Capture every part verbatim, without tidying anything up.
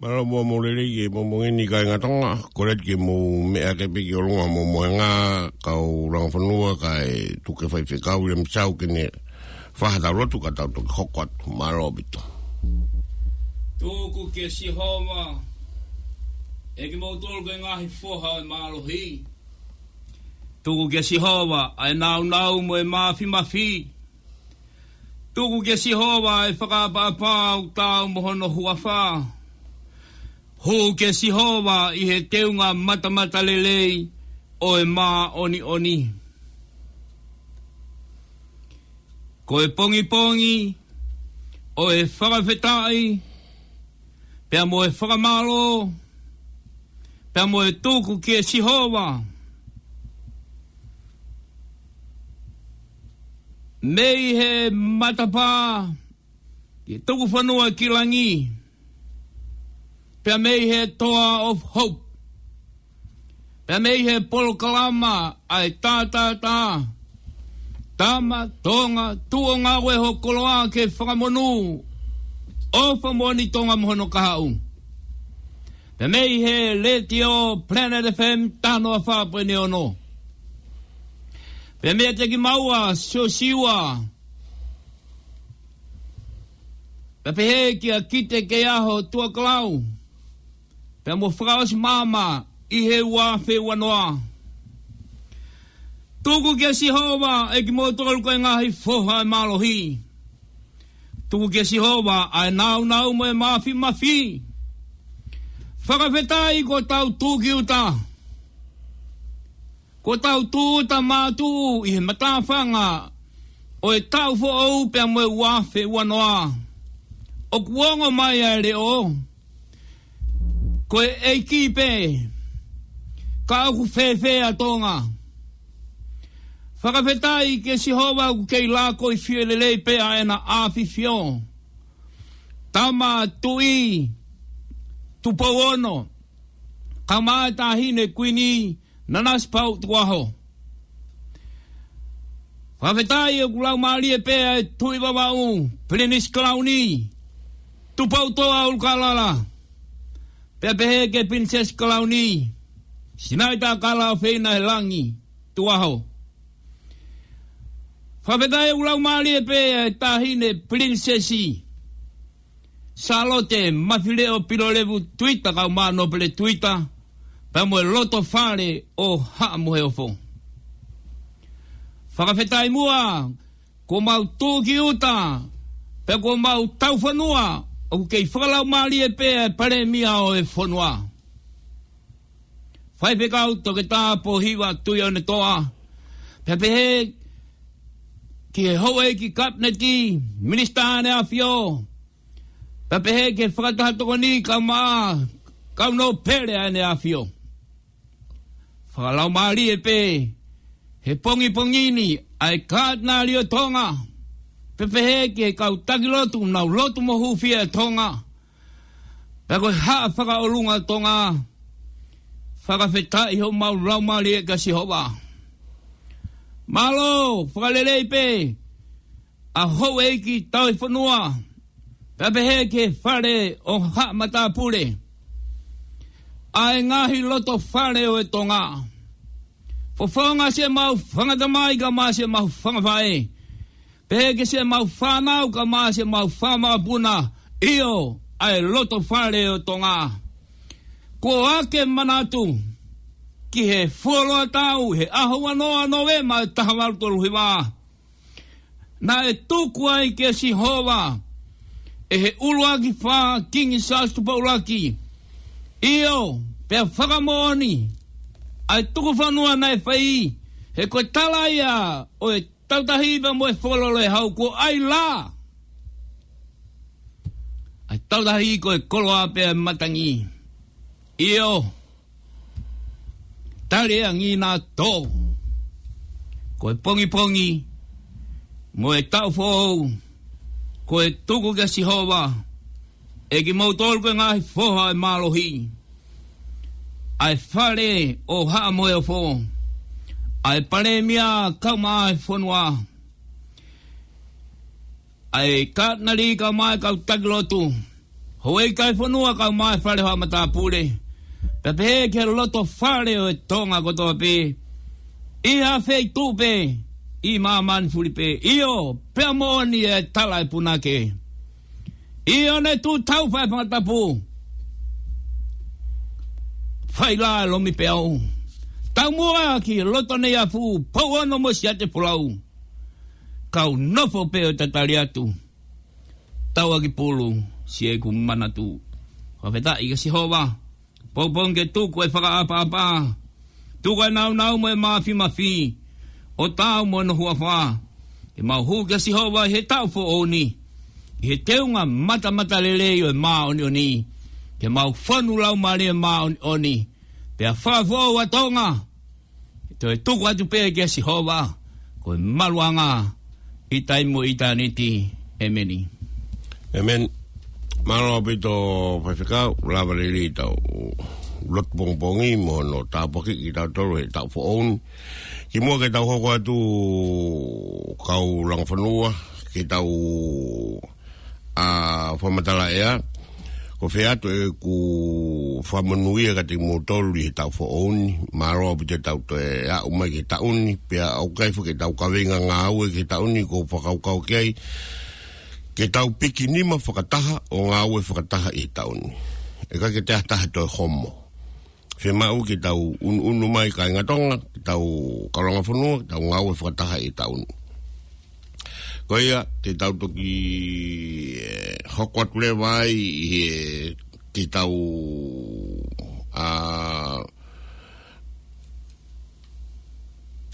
Mālō muʻa mo e lelei e moʻomoʻoni kāinga Tonga, kole atu ke mou meʻa ake pē ki ʻolunga mo e mohenga, kau langa fonua kae tuku e faifekau ia mei Sau ke ne fai haʻatau lotu ka tau toki hoko atu. Mālō ʻaupito. Tuku kia Sihova, ʻe kimoutolu ko e ngaahi foha ʻo e mālohi. Tuku kia Sihova ʻa e nāunau mo e māfimafi. Tuku kia Sihova ʻa e fakaʻapaʻapa ʻoku taau mo hono huafa. Hū kia Sihova ʻi he teunga matamatalelei ʻo e māʻoniʻoni. Ko e pongipongi ʻo e fakafetaʻi, pea mo e fakamālō, pea mo e tuku kia Sihova. Mei he matapā, ke tuku fonua ki langi, pea mei he Toa of Hope, pea mei he polokalama ʻa e tātātā, Tama Tonga, tuʻo ngāue ho koloa ke fakamonū, ʻofa moʻoni Tonga mo hono kahaʻu. Pea mei he Letiō Planet F M taha noa fā poini ono. Pea meiate kimaua Siosiua, pea pehē kia Kite Keiaho Tuʻakalau, pea mo Fakaʻosi Maama ʻi he ua afe ua noa. Tuku kia Sihova ʻe kimoutolu ko e ngaahi foha ʻo e mālohi. Tuku kia Sihova ʻa e nāunau mo e māfimafi. Fakafetaʻi kuo tau tuʻu ki ʻuta. Kuo tau tuʻu ʻuta mātuʻu ʻi he matāfanga ʻo e taʻu foʻou pea mo e ua afe ua noa. ʻOku ongo mai ʻa e leʻo, ko e ʻEiki pē, ka ʻoku fēfē ʻa Tonga? Fakafetaʻi kia Sihova ʻoku kei lākoifie lelei pē ʻa ʻena ʻAfifio. Tama Tuʻi Tupou Ono, kae ʻumaʻā e Taʻahine Kuini Nanasipauʻu Tukuaho. Fakafetaʻi ʻoku laumālie pē ʻa e Tuʻi Vavaʻu, Pilinisi Kalauni Tupoutoʻa ʻUlukalala, pea pehē ki he Pilinisesi Kalauni Sinaitakala ʻOfeina ʻi he Langi Tukuaho. Fakafetaʻi ʻoku laumālie pē ʻa e Taʻahine Pilinisesi Sālote Mafileʻo Pilolevu Tuita kae ʻumaʻā Nōpele Tuita, pea mo e loto fale ʻo Haʻa Moheofo. Fakafetaʻi muʻa kuo mau tuʻu ki ʻuta, pea kuo mau taufonua, ʻoku kei fakalaumālie pē ʻa e Palēmia ʻo e fonua, Faifekau Toketā Pōhiva Tuʻiʻonetoa, pea pehē ki he houʻeiki Kapineti, Minisitā ʻEne ʻAfio, pea pehē ki he Fakataha Tokoni kae ʻumaʻā kau nōpele ʻa ʻEne ʻAfio. Fakalaumālie pē he pongipongi ni ʻa e Katinali ʻo Tonga, pea pehē ki he kau taki lotu, nau lotu mo hūfia ʻa Tonga, pea ko e Haʻa Fakaʻolunga ʻo Tonga. Fakafetaʻi homau laumālie kia Sihova. Mālō, fakalelei pē ʻa houʻeiki tauhi fonua, pea pehē ki he fale ʻo Haʻa Matāpule, ʻa e ngaahi loto fale ʻo e Tonga. Fofonga siʻemau fanga tamai kae ʻumaʻā siʻemau fanga faʻē, pehē ki siʻemau fānau kae ʻumaʻā siʻemau fanga makapuna, ʻio, ʻa e loto fale ʻo Tonga. Kuo ake manatu ki he fuoloa taʻu, he ʻaho ua noa Nōvema ʻo e taha valu tolu hiva, naʻe tuku ai kia Sihova ʻe he ʻuluaki fā Kingi Siaosi Tupou ʻUluaki, ʻio, pea fakamoʻoni ʻa e tuku fonua naʻe fai, he ko e tala ia ʻo e Tautahi pea mo e Fokololo ʻe Hau, kuo ʻai lā ʻa e Tautahi ko e koloa pea ʻe matangi. ʻIo, tali angi na to. Ko e pongipongi mo e taʻu foʻou, ko e tuku kia Sihova ʻe kimoutolu ko e ngaahi foha ʻo e mālohi, ʻa e fale ʻo Haʻa Moheofo, ʻa e Palēmia kae ʻumaʻā e fonua, ʻa e Katinali kae ʻumaʻā e kau taki lotu, Houʻeiki ʻo e fonua kae ʻumaʻā e fale ʻo haʻa matāpule. Pea pehē ki he loto fale ʻo e Tonga kotoa pē. ʻI ha feituʻu pē, ʻi māmani fuli pē. ʻIo, pea moʻoni e tala ʻa e punake. ʻIo, ne tuʻu tau fai fanga tapu. Fai lā e lomi peau. Taumuʻa ki loto nei afu, pou ono mo siate folau. Kau nofo pē ʻo tatali atu. Tau ʻaki pulu, siʻeku manatu. Fakafetaʻi kia Sihova. Pongipongi ke tuku e fakaʻapaʻapa. Tuku e nāunau mo e mafimafi. ʻO tau mo hono huafa. Ke mau hū kia Sihova ʻi he taʻu foʻou ni. ʻI he teunga matamatalelei ʻo e māʻoniʻoni. Ke mau fonu laumālie māʻoniʻoni. Pea fakafoʻou ʻa Tonga. Toe tuku atu pē kia Sihova, ko e maluʻanga ʻi taimi mo ʻitāniti. ʻEmeni. ʻEmeni. Mālō ʻaupito Faifekau, lava lelei ʻetau lotu pongipongi mo hono tāpuakiʻi kitautolu he taʻu foʻou ni. Kimuʻa ke tau hoko atu kau langa fonua, ke tau ʻa fakamatala ʻea. Ko fē atu ʻeku fakamonūʻia kiate kimoutolu ʻi he taʻu foʻou ni. Mālō ʻaupito ʻetau toe aʻu mai ki he taʻu ni. Pea ʻoku ʻikai foki ke tau kaveinga ngāue ki he taʻu ni, ko e fakakaukau ki ai. Ke tau piki nima fakataha ʻo ngāue fakataha ʻi he taʻu ni. ʻE ʻikai ke te ʻatā ha toe homo. Fiemaʻu ke tau ʻunuʻunu mai kāinga Tonga, ke tau kau langa fonua, ke tau ngāue fakataha ʻi he taʻu ni. Ko ia, te tau toki, eh, hoko atu leva ai ʻi he, ke tau, ʻa,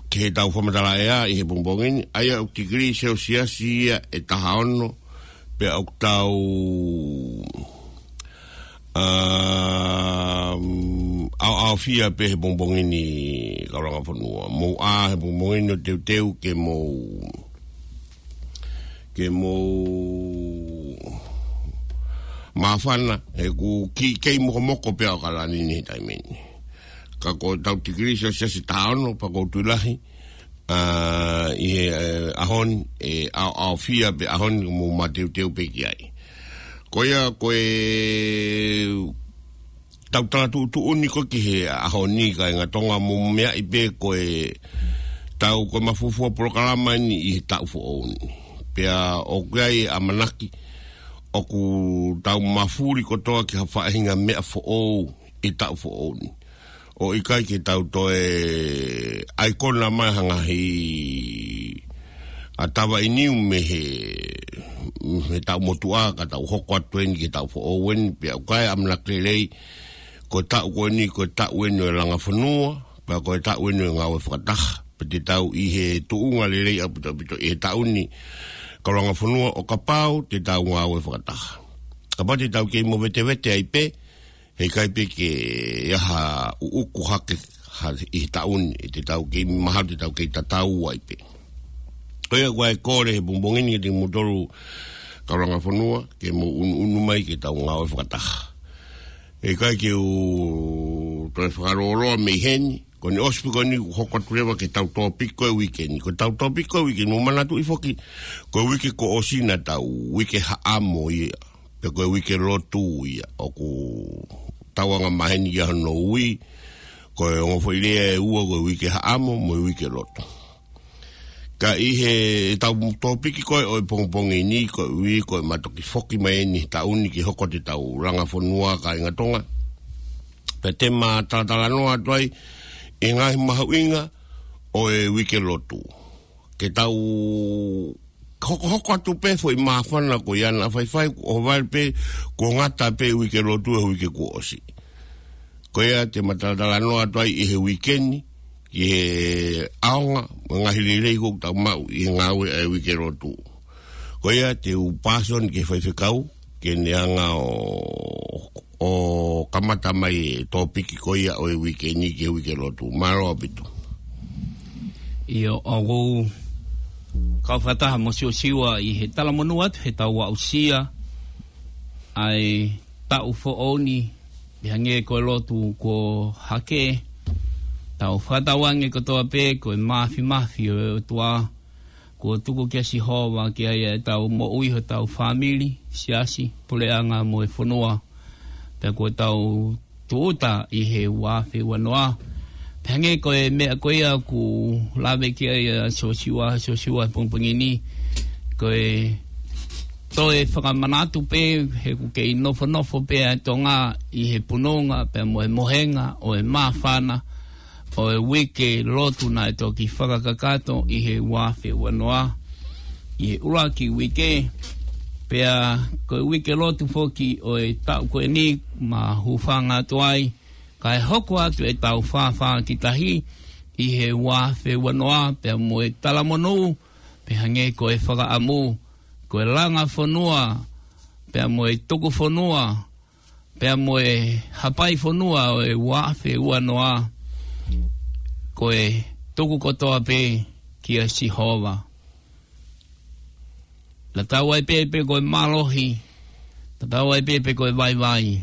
ke tau fakamatala ʻea ʻi he pongipongi ni, ʻa ia ʻoku tikilī selesiasi ia ʻe taha ono, pea ʻoku tau, um, ʻaoʻaofia pē he pongipongi ni kau langa fonua. Mou ʻā he pongipongi ni ʻo teuteu ke mou, ke mou māfana, he ʻoku kei mokomoko pē ʻa ʻAokalani ni he taimi ni. Ka ko ʻetau tikilī selesiasi taha ono, pea ʻoku ou tui lahi, ʻa, ʻi he, eh, ʻaho ni, ʻe ʻaoʻaofia pē ʻaho ni, mou mateuteu pē ki ai. Ko ia, ko ʻetau tala tuʻutuʻuni ko ē ki he ʻaho ni kāinga Tonga, mou meaʻi pē ko ʻetau, ko e mafuofua polokalama eni ʻi he taʻu foʻou ni. Pea ʻoku ʻi ai e ʻamanaki, ʻoku tau mafuli kotoa ki ha faʻahinga meʻa foʻou ʻi he taʻu foʻou ni. ʻO ʻikai ke tau toe ʻaikona mai ha ngaahi ʻa tava ʻi niu mei he, mei he taʻu motuʻa ka tau hoko atu eni ki he taʻu foʻou eni, pea ʻoku ʻi ai e ʻamanaki lelei, ko e taʻu ko eni, ko e taʻu eni ʻo e langa fonua, pea ko e taʻu eni ʻo e ngāue fakataha. Pea te tau ʻi he tuʻunga lelei ʻaupito ʻaupito ʻi he taʻu ni kau langa fonua ʻo kapau te tau ngāue fakataha. Kapau te tau kei movetevete ai pē, he ʻikai pē ke ʻi ai ha ʻuʻuku hake ha ʻi he taʻu ni, ʻe te tau kei mahalo te tau kei tatau ai pē. Ko ia ko e kole he pongipongi ni kiate kimoutolu kau langa fonua, ke mou ʻunuʻunu mai ke tau ngāue fakataha. ʻE ʻikai ke u toe fakalōloa mei heni, ko eni ʻosi pē ko eni ʻoku hoko atu leva ki heʻetau tōpiki ko e uike ni. Ko ʻetau tōpiki ko e uike ni, mou manatuʻi foki, ko e uike kuo ʻosi naʻa tau uike haʻamo ia, pe ko e uike lotu ia, ʻoku tau anga maheni ia hono ui, ko e ongo foʻi lea ʻe ua, ko e uike haʻamo mo e uike lotu. Ka ʻi heʻetau tōpiki ko ē ʻo e pongipongi ni, ko e ui, ko e ma toki foki mai eni he taʻu ni ke hoko atu ʻetau langa fonua kāinga Tonga. Pea te ma talatalanoa atu ai ʻi he ngaahi mahuʻinga ʻo e uike lotu. Ke tau hokohoko atu pē foʻi māfana ko ia naʻa faifai, kuo ʻohovale pē, kuo ngata pē uike lotu he uike kuo ʻosi. Ko ia te ma talatalanoa atu ai ʻi he uike ni, ki he ʻaonga, mo e ngaahi lelei ʻoku tau maʻu ʻi he ngāue ʻa e uike lotu. Ko ia te u pāsoni ki he faifekau, ke ne hanga ʻo, ʻo kamata mai e tōpiki ko ia ʻo e uike ni ki he uike lotu. Mālō ʻaupito. ʻIo, ʻoku ou kau fakataha mo Siosiua ʻi he talamonū atu heʻetau aʻusia ʻa e taʻu foʻou ni, ʻi he hangē ko e lotu kuo hake, tau fakatauange kotoa pē ko e mafimafi ʻo e ʻOtua, kuo tuku kia Sihova ki ai ʻetau moʻui, hotau fāmili, siasi, puleʻanga mo e fonua. Pea kuo tau tūʻuta ʻi he ua afe ua noa. Pea hangē ko e meʻa ko ia ʻoku lave ki ai ʻa Siosiua, Siosiua he pongipongi ni. Ko e toe fakamanatu pē he ʻoku kei nofonofo pē ʻa Tonga ʻi he pununga, pea mo e mohenga ʻo e māfana ʻo e uike lotu naʻe toki fakakakato ʻi he ua afe ua noa ʻi he ʻuluaki uike. Pea ko e uike lotu foki ʻo e taʻu ko eni ma hūfanga atu ai, kae hoko atu ʻetau fāfā ki tahi ʻi he ua afe ua noa, pea mo e talamonū, pea hangē ko e fakaʻamu, ko e langa fonua, pea mo e tuku fonua, pea mo e hapai fonua ʻo e ua afe ua noa, ko e tuku kotoa pē kia Sihova. Tatau ai pē pe ko e mālohi, tatau ai pē pe ko e vaivai,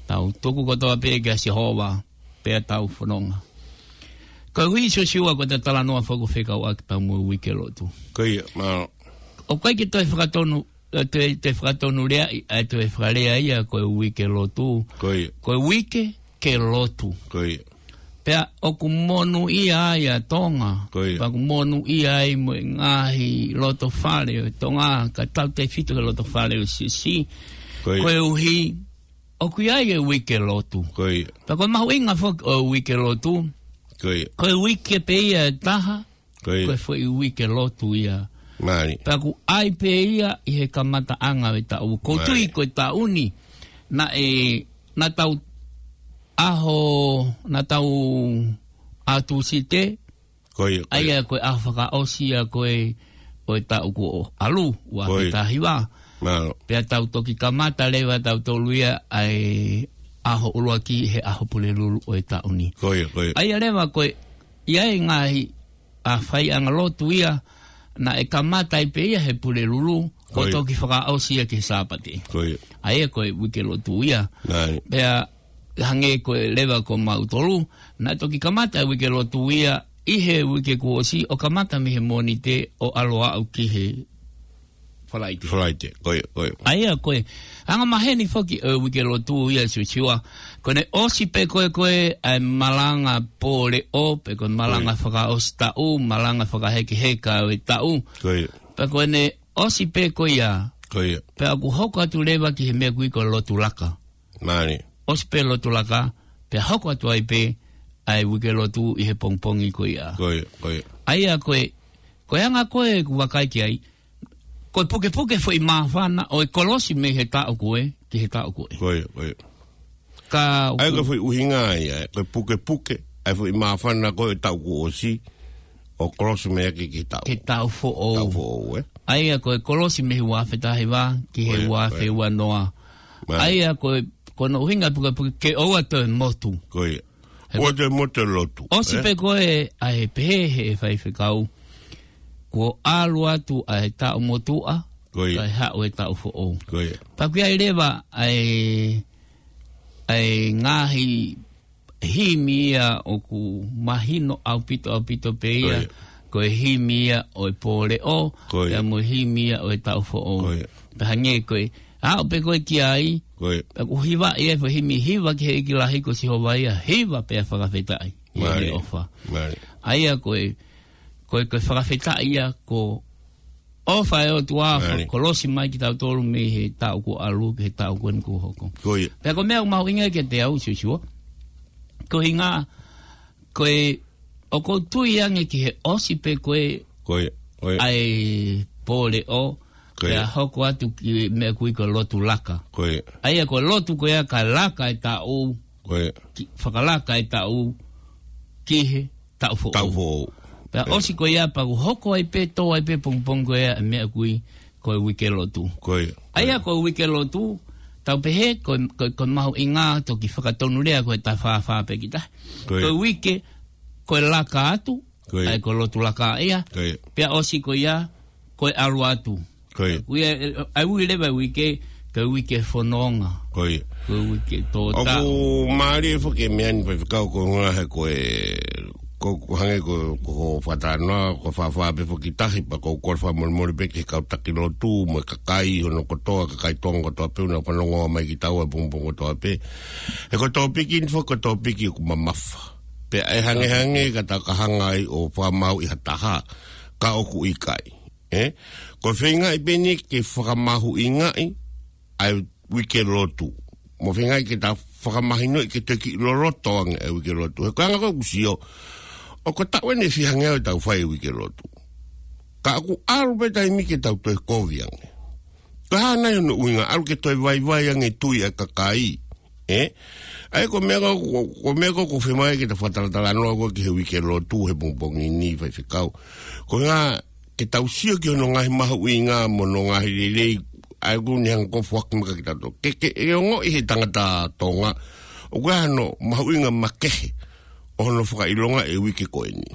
tau tuku kotoa pē kia Sihova, pea tau fononga. Koeʻuhi Siosiua ko e talanoa foki ʻoku fekauʻaki pea mo e uike lotu. Ko ia, ma- ʻOku ʻikai ke toe fakatonu, ʻe toe, toe fakatonu lea, ʻe toe fakalea ia ko e uike lotu. Ko ia. Ko e uike ke lotu. Ko ia. Pea ʻoku monūʻia ai ʻa Tonga. Ko ia. Pea ʻoku monūʻia ai mo e ngaahi loto fale ʻo Tonga, kae tautefito ki he loto fale ʻo Siasi. Ko ia. Koeʻuhi, ʻoku ʻi ai e uike lotu. Ko ia. Pea ko e mahuʻinga foki ʻo e uike lotu. Ko ia. Ko e uike pē ia ʻe taha, Ko ia. Ko e foʻi uike lotu ia. Mālie. Pea ʻoku ʻi ai pē ia ʻi he kamataʻanga ʻo e taʻu. Ko u tui Mālie. Ko e taʻu ni, naʻe, naʻa tau ʻaho, naʻa tau ʻaho Tūsite, Ko ia, ko ʻa ia. Ia ko e ʻaho fakaʻosi ia ko ē ʻo e taʻu kuo ʻalu, ua Ko ia. Afe taha hiva. Mālō. Pea tau toki kamata leva tautolu ia ʻa e ʻaho ʻuluaki he ʻaho Pulelulu ʻo e taʻu ni. Ko ia, ko ia. ʻA ia leva ko e, ʻi ai e ngaahi ʻa e faiʻanga lotu ia, naʻe kamata ai pē ia he Pulelulu, ko Ko ia. Toki fakaʻosi ia ki he Sāpate. Ko ia. ʻA ia ko e uike lotu ia. Nai. Pea hangē ko e leva ko mautolu, naʻe toki kamata e uike lotu ia, ʻi he uike kuo ʻosi, ʻo kamata mei he Mōnite ʻo ʻalu ʻo aʻu ki he Falaite. Falaite, ko ia, ko ia. ʻA ia ko e, anga maheni foki ʻo e uike lotu ia Siosiua. Ko ʻene ʻosi pē ko ē ko ē ʻa e malanga pōleʻo, pe ko e malanga Ko ia. Fakaʻosi taʻu, malanga fakahekeheka ʻo e taʻu. Ko ia. Pea ko ʻene ʻosi pē ko ia. Ko ia. Pea ʻoku hoko atu leva ki he meʻa ʻoku ui ko e lotu laka. Mālie. ʻOsi pē lotu laka, pea hoko atu ai pē ʻa e uike lotu ʻi he pongipongi ko ia. Ko ia, ko ia. ʻA ia ko e, ko e anga ko ē ʻoku vakai ki ai, ko e pukepuke foʻi māfana ʻo e kolosi mei he taʻu ko ē ki he taʻu ko ē. Ko ia, ko ia. Ka ʻA ia ko e foʻi ʻuhinga ia, ko e pukepuke, ʻa e foʻi māfana ko ē taʻu kuo ʻosi, ʻo kolosi mei ai ki he taʻu. Ki he taʻu foʻou. Taʻu foʻou, ē? ʻA ia ko e kolosi mei he ua afe taha hiva ki he Ko ia, ua afe ua noa. Ko ia. Mālie. ʻA ia ko e, ko hono ʻuhinga pukepuke ke ʻoua toe motu. Ko ia. He ʻOua ko toe motu e lotu, ʻosi ē? Pē ko ē ʻa e pehē he faifekau. Kuo ʻalu atu ʻa e taʻu motuʻa, Ko ia. Kae haʻu e taʻu foʻou. Ko ia. Pea ʻoku ʻi ai leva ʻa e, ʻa e ngaahi himi ia ʻoku mahino ʻaupito, ʻaupito pē ia. Ko ia. Ko e himi ia ʻo e pōleʻo, Ko ia. Pea mo e himi ia ʻo e taʻu foʻou. Ko ia. Pea hangē ko e, aʻu pē ko ē ki ai, Ko ia. Pea ʻoku hiva ia, pea himi hiva ki he ʻEiki lahi ko Sihova ia, hiva pea fakafetaʻi. Mālie. He ʻofa. Mālie. ʻA ia ko e, ko e, ko e fakafetaʻi ia ko ʻofa e ʻOtua, Mālie. Kolosi mai kitautolu mei he taʻu kuo ʻalu, ki he taʻu ko eni kuo hoko. Ko ia. Pea ko e meʻa ʻoku mahuʻinga kiate au Siosiua. Ko e ʻuhinga, ko e, ʻoku ou tui ange ki he ʻosi pē ko ē Ko ia. Ko ia. ʻA e pōleʻo, Ko ia. Pea hoko atu ki he meʻa ʻoku ui ko e lotu laka. Ko ia. ʻA ia ko e lotu ko ia ka laka e taʻu, Ko ia. Ki, fakalaka e taʻu, ki he taʻu foʻou. Taʻu foʻou. Pea Ko ia. ʻOsi ko ia pea ʻoku hoko ai pē, tō ai pē pongipongi ko ia e meʻa ʻoku ui ko e uike lotu. Ko ia. ʻA ia ko e uike lotu, tau pehē, ko, ko, ko e mahuʻinga toki fakatonu lea ko e tafafā pē kita. Ko ia. Ko e uike, ko e laka atu, Ko ia. ʻA ia ko e lotu laka ia. Ko ia. Pea ʻosi ko ia, ko e ʻalu atu. Ko ia. Ko ia, ʻa e ui leva e uike, ko e uike fononga. Ko ia. Ko e uike tōtā. ʻOku mālie foki e meʻa ni faifekau ko e ngaahi ko e ko, ko hangē ko, ko hoʻo fakatalanoa, ko e fāfā pē foki tahi, pea ko e kole fakamolemole pē ki he kau taki lotu, mo e kakai, hono kotoa, kakai Tonga kotoa pē, ʻoku nau fanongo mai ki taua pongipongi kotoa pē. He ko e tōpiki ni foki, ko e tōpiki ʻoku mamafa. Pea ʻe hangehangē ka tau ka hanga ai ʻo fakamāuʻi ha taha, ka ʻoku ʻikai. ʻE? Ko e feingaʻi pē eni ke fakamahuʻingaʻi ʻa e uike lotu. Mo feingaʻi ke ta fakamahinoʻi ke toki loloto ange ʻa e uike lotu. He ko e anga ko ē ʻoku sio, ʻoku taʻu eni ʻe fiha ngeau ʻetau fai e uike lotu. Ka ʻoku ʻalu pē taimi ke tau toe kovi ange. Ko e hā nai hono ʻuhinga, ʻalu ke toe vaivai ange tui ʻa e kakai. ʻE? ʻA ia ko e meʻa ko, ko, ko e meʻa ko, ʻoku fiemaʻu ke ta fakatalatalanoa ko ē ki he uike lotu he pongipongi ni, faifekau. Ko e ʻuhinga ke tau sio ki hono ngaahi mahuʻinga mo hono ngaahi lelei, ʻa ia ʻoku ne hanga ʻo foaki mai kia kitautolu. Ke, ke, ʻe ongoʻi he tangata Tonga, ʻoku ʻi ai hano mahuʻinga makehe ʻo hono fakaʻilonga e uike ko eni.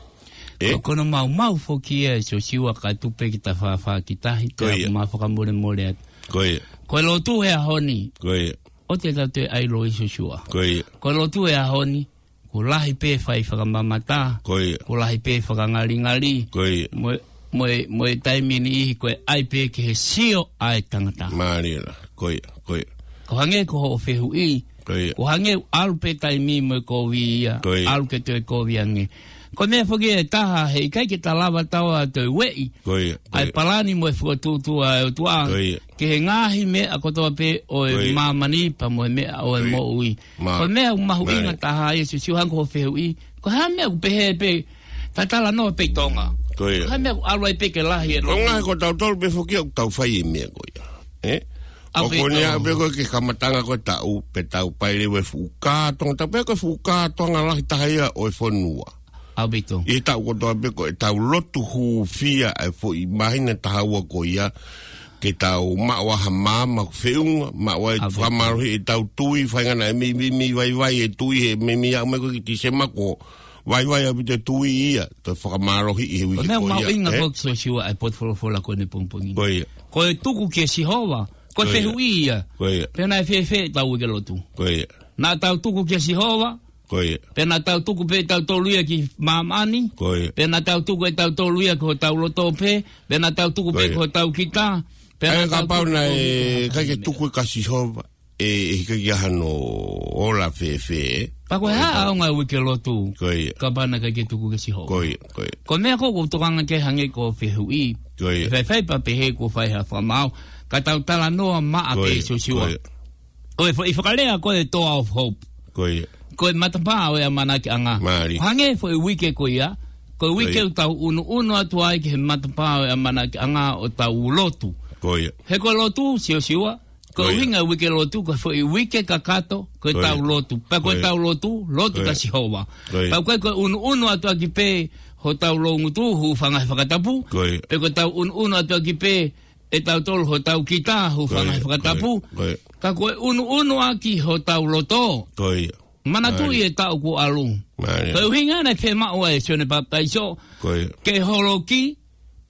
ʻE? Ko, ko hono maumau foki ia ʻe Siosiua ka tuku pē ke ta fāfā ki tahi, Ko ia. pea ma fakamolemole atu. Ko ia. Ko e lotu he ʻaho ni. Ko ia. ʻOua te tau toe ʻai loi Siosiua. Ko ia. Ko e lotu he ʻaho ni, ʻoku lahi pē fai fakamamata. Ko ia. ʻOku lahi pē fakangalingali. Ko ia. Mo e, mo e, mo e taimi niʻihi ko e ʻai pē ki he sio ʻa e tangata. Mālie lā. Ko ia, ko ia. Ko hangē ko hoʻo fehuʻi. Ko ia. Ko hangē ʻalu pē taimi mo e kovi ia. Ko ia. ʻAlu ke toe kovi ange. Ko e meʻa foki ʻe taha, heʻikai ke ta lava taua toe ueʻi. Ko ia, ko ʻA e ia. palani mo e fokotuʻutuʻu ʻa e ʻOtua. Ko ia. Ki he ngaahi meʻa kotoa pē ʻo e Ko ia. māmani pea mo e meʻa ʻo e Ko ia. moʻui. Ma-, Ko e meʻa ʻoku mahuʻinga Mālie. taha ia Siosiua hangē ko hoʻo fehuʻi. Ko e hā e meʻa ʻoku pehē pē, ta talanoa pē ʻi Tonga. Ko ia. Ko e hā e meʻa ʻoku ʻalu ai pē ke lahi e Ko e lotu. ngaahi ko tautolu pē foki ʻoku tau fai e meʻa ko ia. ʻE? ʻA ʻOku pē ne tau. ʻa pē ko ē ke kamataʻanga ko e taʻu, pea tau pā leva e fuʻu kā Tonga, tau pehē ko e fuʻu kā Tonga lahi taha ia ʻo e fonua. ʻAupito. ʻI he taʻu kotoa pē ko ʻetau lotu hūfia ʻa e foʻi māhina ʻe taha ua ko ia, ke tau maʻu ʻa ha maama ʻoku feʻunga, maʻu ai ʻAupito. fakamālohiʻi ʻetau tui, faingataʻa e meimei, meimei vaivai e tui he meimei aʻu mai ko ē ki Tīsema kuo vaivai ʻaupito e tui ia, toe fakamālohiʻi he Ko e uike meʻa ko ia, mahuʻinga ʻe? foki Siosiua ʻa e potu folofola ko eni pongipongi ni. Ko ia. Ko e tuku kia Sihova, ko e Ko ia. fehuʻi ia. Ko ia. Pea naʻe fēfē ʻetau uike lotu. Ko ia. Naʻa tau tuku kia Sihova, Ko ia. Pea naʻa tau tuku pē tautolu ia ki māmani. Ko ia. Pea naʻa tau tuku ʻe tautolu ia ki hotau loto pē. Pea naʻa tau tuku Ko pē ia. ki hotau kita. Pea ʻA ia naʻa tau kapau tuku naʻe ʻikai ke tuku kia Sihova, ʻe, ʻe ʻikai ke ʻi ai hano ola fēfē. Pea ko e Ko ia. hā ʻaonga e uike lotu. Ko ia. Kapau naʻe ʻikai ke tuku kia Sihova. Ko ia, ko ia. Ko e meʻa ko ē ʻoku ou tokanga ki ai hangē ko hoʻo fehuʻi. Ko ia. Faifai pea pehē kuo fai ha fakamaau. Ka tau talanoa maʻa Ko pē ia, Siosiua. ko ia. Ko e foʻi fakalea ko e Door of Hope. Ko ia. Ko e matapā ʻo e ʻamanakiʻanga. Mālie. Hangē foʻi uike ko ia, ko e Ko uike ia. ʻoku tau ʻunuʻunu atu ai ki he matapā ʻo e ʻamanakiʻanga ʻo tau lotu. Ko ia. He ko e lotu, Siosiua, ko Ko ia. ʻuhinga e uike lotu, ko e foʻi uike kakato, ko Ko ia. ʻetau lotu. Pea ko Ko ia. ʻetau lotu, lotu Ko kia ia. Sihova. Ko ia. Pea ko e, ko e ʻunuʻunu atu ʻaki pē hotau loungutu, hūfanga he fakatapu. Ko ia. Pea ko ʻetau ʻunuʻunu atu ʻaki pē ʻe tautolu hotau kita, hūfanga Ko ia, he fakatapu. ko ia, ko ia. Ka ko e ʻunuʻunu ʻaki hotau loto. Ko ia. Manatuʻi Mālie. e taʻu kuo ʻalu. Mālie. Ko e ʻuhinga naʻe fiemaʻu ai ʻe Sione Papitaiso. Ko ia. Ke holoki,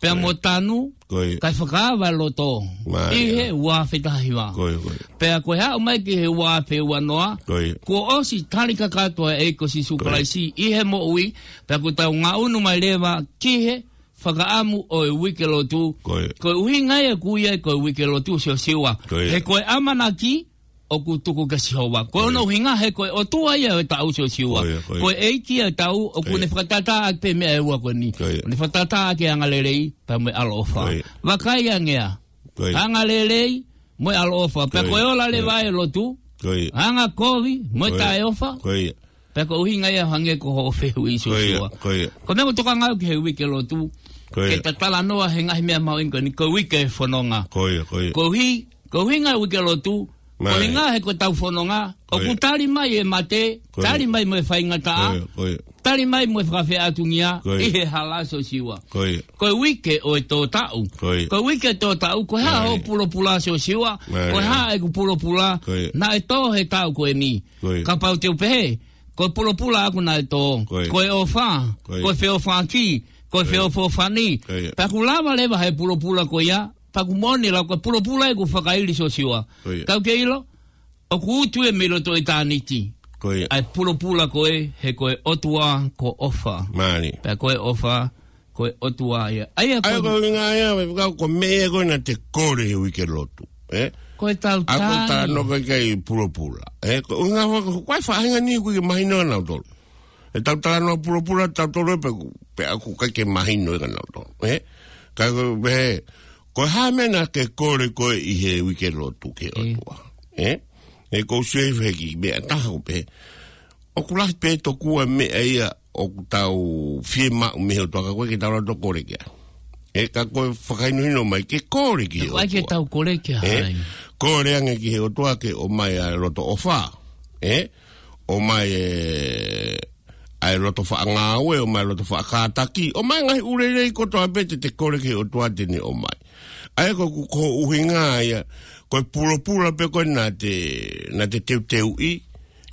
pea Ko ia. mo tanu, Ko ia. kae fakaava e loto. Mālie. ʻI he ua afe taha hiva. Ko ia, ko ia. Pea ko e haʻu mai ki he ua afe ua noa. Ko ia. Kuo ʻosi tali kakato ʻa e ʻEiki ko Sīsū Ko ia. Kalaisi ʻi he moʻui. Pea kuo tau ngaʻunu mai leva ki he fakaʻamu ʻo e uike lotu. Ko ia. Ko e ʻuhinga ia ʻoku ui ai ko e uike lotu Siosiua. Ko ia. He ko e ʻamanaki ʻoku tuku kia Sihova. Ko Ko ia. hono ʻuhinga he ko e ʻOtua ia ʻo e taʻu Siosiua. Ko ia, ko ia. Ko e ʻEiki ia ʻo e taʻu ʻoku Ko ia. ne fakatātā ʻaki pē meʻa ʻe ua ko eni. Ko ia. ʻOku ne fakatātā ʻaki e angalelei pea mo e ʻaloʻofa. Ko ia. Vakai ange ā. Ko ia. Angalelei mo e ʻaloʻofa. Pea Ko ko e ia. ola Ko ia. leva e lotu. Ko ia. Angakovi mo e Ko ia. taʻeʻofa. Ko ia. Pea ko e ʻuhinga ia hangē ko hoʻo fehuʻi Ko ia, Siosiua. ko ia. Ko e meʻa ʻoku ou tokanga au ki he uike lotu. Ko ia. Ke ta talanoa he ngaahi meʻa mahuʻinga ko eni, ko e uike fononga. Ko ia, ko ia. Koeʻuhi, ko e ʻuhinga e uike lotu, Mālie. koeʻuhinga he ko ʻetau fononga, Ko ʻoku ia. tali mai e mate, Ko ia. tali mai mo e faingataʻa, Ko ia, ko ia. tali mai mo e fakafeʻātungia, Ko ia. ʻi he hala Siosiua. Ko ia. Ko e uike ʻo e tō taʻu. Ko ia. Ko e uike tō taʻu, ko e hā Mālie. hoʻo pulopula Siosiua, Mālie. ko e hā ʻeku pulopula, Ko ia. naʻe tō he taʻu ko eni. Ko ia. Kapau te u pehē, ko e pulopula ʻaʻaku naʻe tō. Ko ia. Ko e ʻofa, Ko ia. ko e feʻofaʻaki, ko e Ko ia. feʻofoʻofani. Ko ia. Pea ʻoku lava leva he pulopula ko ia, pea ʻoku moʻoni lā ko e pulopula ʻeku fakaili Siosiua. Ko ia. Kau ke ʻilo, ʻoku utu ia mei loto ʻitāniti. Ko ia. ʻA e pulopula ko ē, he ko e ʻOtua ko ʻOfa. Mālie. Pea ko e ʻOfa, ko e ʻOtua ia. ʻA ia ko ʻA ia ko e ʻuhinga ia, me fika ko e meʻa ko ē naʻa te kole he uike lotu. Ē? Ko e tau ʻA ko e tai. Talanoa ko ē ki he pulopula. Ē? Ko e ʻuhinga ko e, ko e faʻahinga ni ʻoku ʻikai ke mahino ʻe nautolu. ʻE tau talanoa pulopula, tautolu ē pe, pe ʻoku ʻikai ke mahino ʻe nautolu. Ē? Ka ko e pehē, ko e hā e meʻa naʻa ke kole ko ē ʻi he uike lotu ki he ʻOtua. Ē? Ē, ʻoku ou sio he kiʻi meʻa taha ʻoku pehē. ʻOku lahi pē tokua meʻa ia ʻoku tau fiemaʻu mei he ʻOtua ka ʻoku ʻikai ke tau loto kole ki ai. Ē, ka ko e fakahinohino mai ke kole ki he ʻOtua. ʻIkai ke tau kole ki ai. Ē, kole ange ki he ʻOtua ke ʻomai ʻa e loto ʻofa. Ē, ʻomai e, ʻa e loto faʻa ngāue, ʻomai e loto faʻa kātaki, ʻomai e ngaahi ʻū lelei kotoa pē te te kole ki he ʻOtua te ne ʻomai. ʻA ia ko, ko, ko e ʻuhinga ia, ko e pulopula pē ko ē naʻa te, naʻa te teuteuʻi,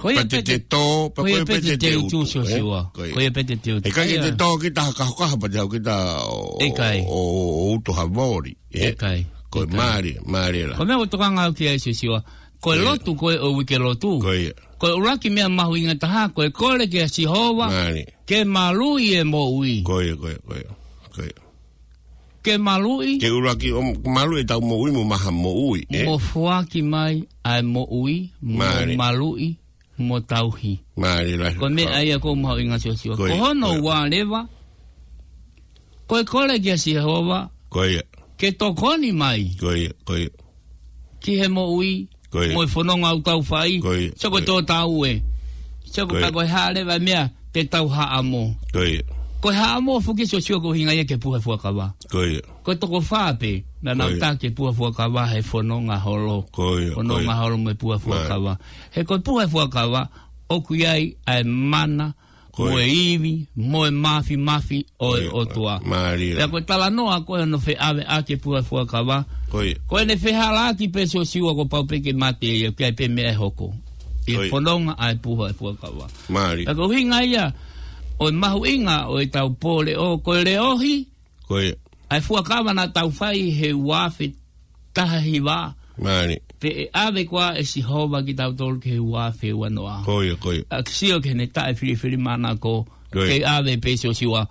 Ko ia pea te pē te te tō, pea ko ia pē te te te utu, utu, ē? Siosiua. Ko ia. Ko ia pē te te utu. ʻE ʻikai ke te tō kita ha kahokaho pea te haʻu kita ʻo, ʻIkai. ʻo, ʻo, ʻo utu ha voli, ē? ʻIkai. Ko e ʻIkai. Mālie, mālie lahi. Ko e meʻa ʻoku ou tokanga au ki ai Siosiua. Ko e Ko ia. lotu, ko e ʻo e uike lotu. Ko ia. Ko e ʻuluaki meʻa mahuʻinga taha, ko e kole kia Sihova. Mālie. Ke maluʻi e moʻui. Ko ia, ko ia, ko ia. Ko ia. Ke maluʻi. Ke ʻuluaki ʻo maluʻi ʻetau moʻui mo maha moʻui, ē? Mo foaki mai ʻa e moʻui, mo Mālie. maluʻi, mo tauhi. Mālie lahi. Ko e meʻa ia ʻoku mahuʻinga Siosiua. Ko ia, Ko hono ko ia. ua leva. Ko e kole kia Sihova. Ko ia. Ke tokoni mai. Ko ia, ko ia. Ki he moʻui. Ko ia. Mo e fononga ʻoku tau fai. Ko ia. Sio ko e Ko ia. tō tau ē. Sio ko Ko ia. pea ko e hā leva e meʻa te tau haʻamo. Ko ia. Ko e haʻamo foki Siosiua ko e ʻuhinga ia ki he puha fuakava. Ko ia. Ko e toko fā pē, naʻa nau Ko ia. tā ki he puha fuakava he fononga holo. Ko ia, ko Fononga ia. holo mo e puha Mālie. fuakava. He ko e puha fuakava, ʻoku ʻi ai ʻa e mana, Ko mo ia. e ivi, mo e māfimafi ʻo e Ko ia. ʻOtua. Mālie. Pea ko e talanoa ko ē hono feʻaveʻaki e puha fuakava. Ko ia. Ko ʻene fehālaaki pē Siosiua kuo pau pē ke mate ia, ʻoku ʻi ai pē meʻa ʻe hoko. ʻI Ko ia. fononga ʻa e puha fuakava. Mālie. Pea ko e ʻuhinga ia, ʻo e mahuʻinga ʻo ʻetau pōleʻo, ko e leʻohi, Ko ia. ʻA e fuakava naʻa tau fai he ua afe taha hiva. Mālie. Pea ʻave koā ʻe Sihova kitautolu ki he ua afe ua noa. Ko ia, ko ia. ʻA ke sio ki heʻene taʻefilifilimānako. Ko ia. Kei ʻave pē Siosiua.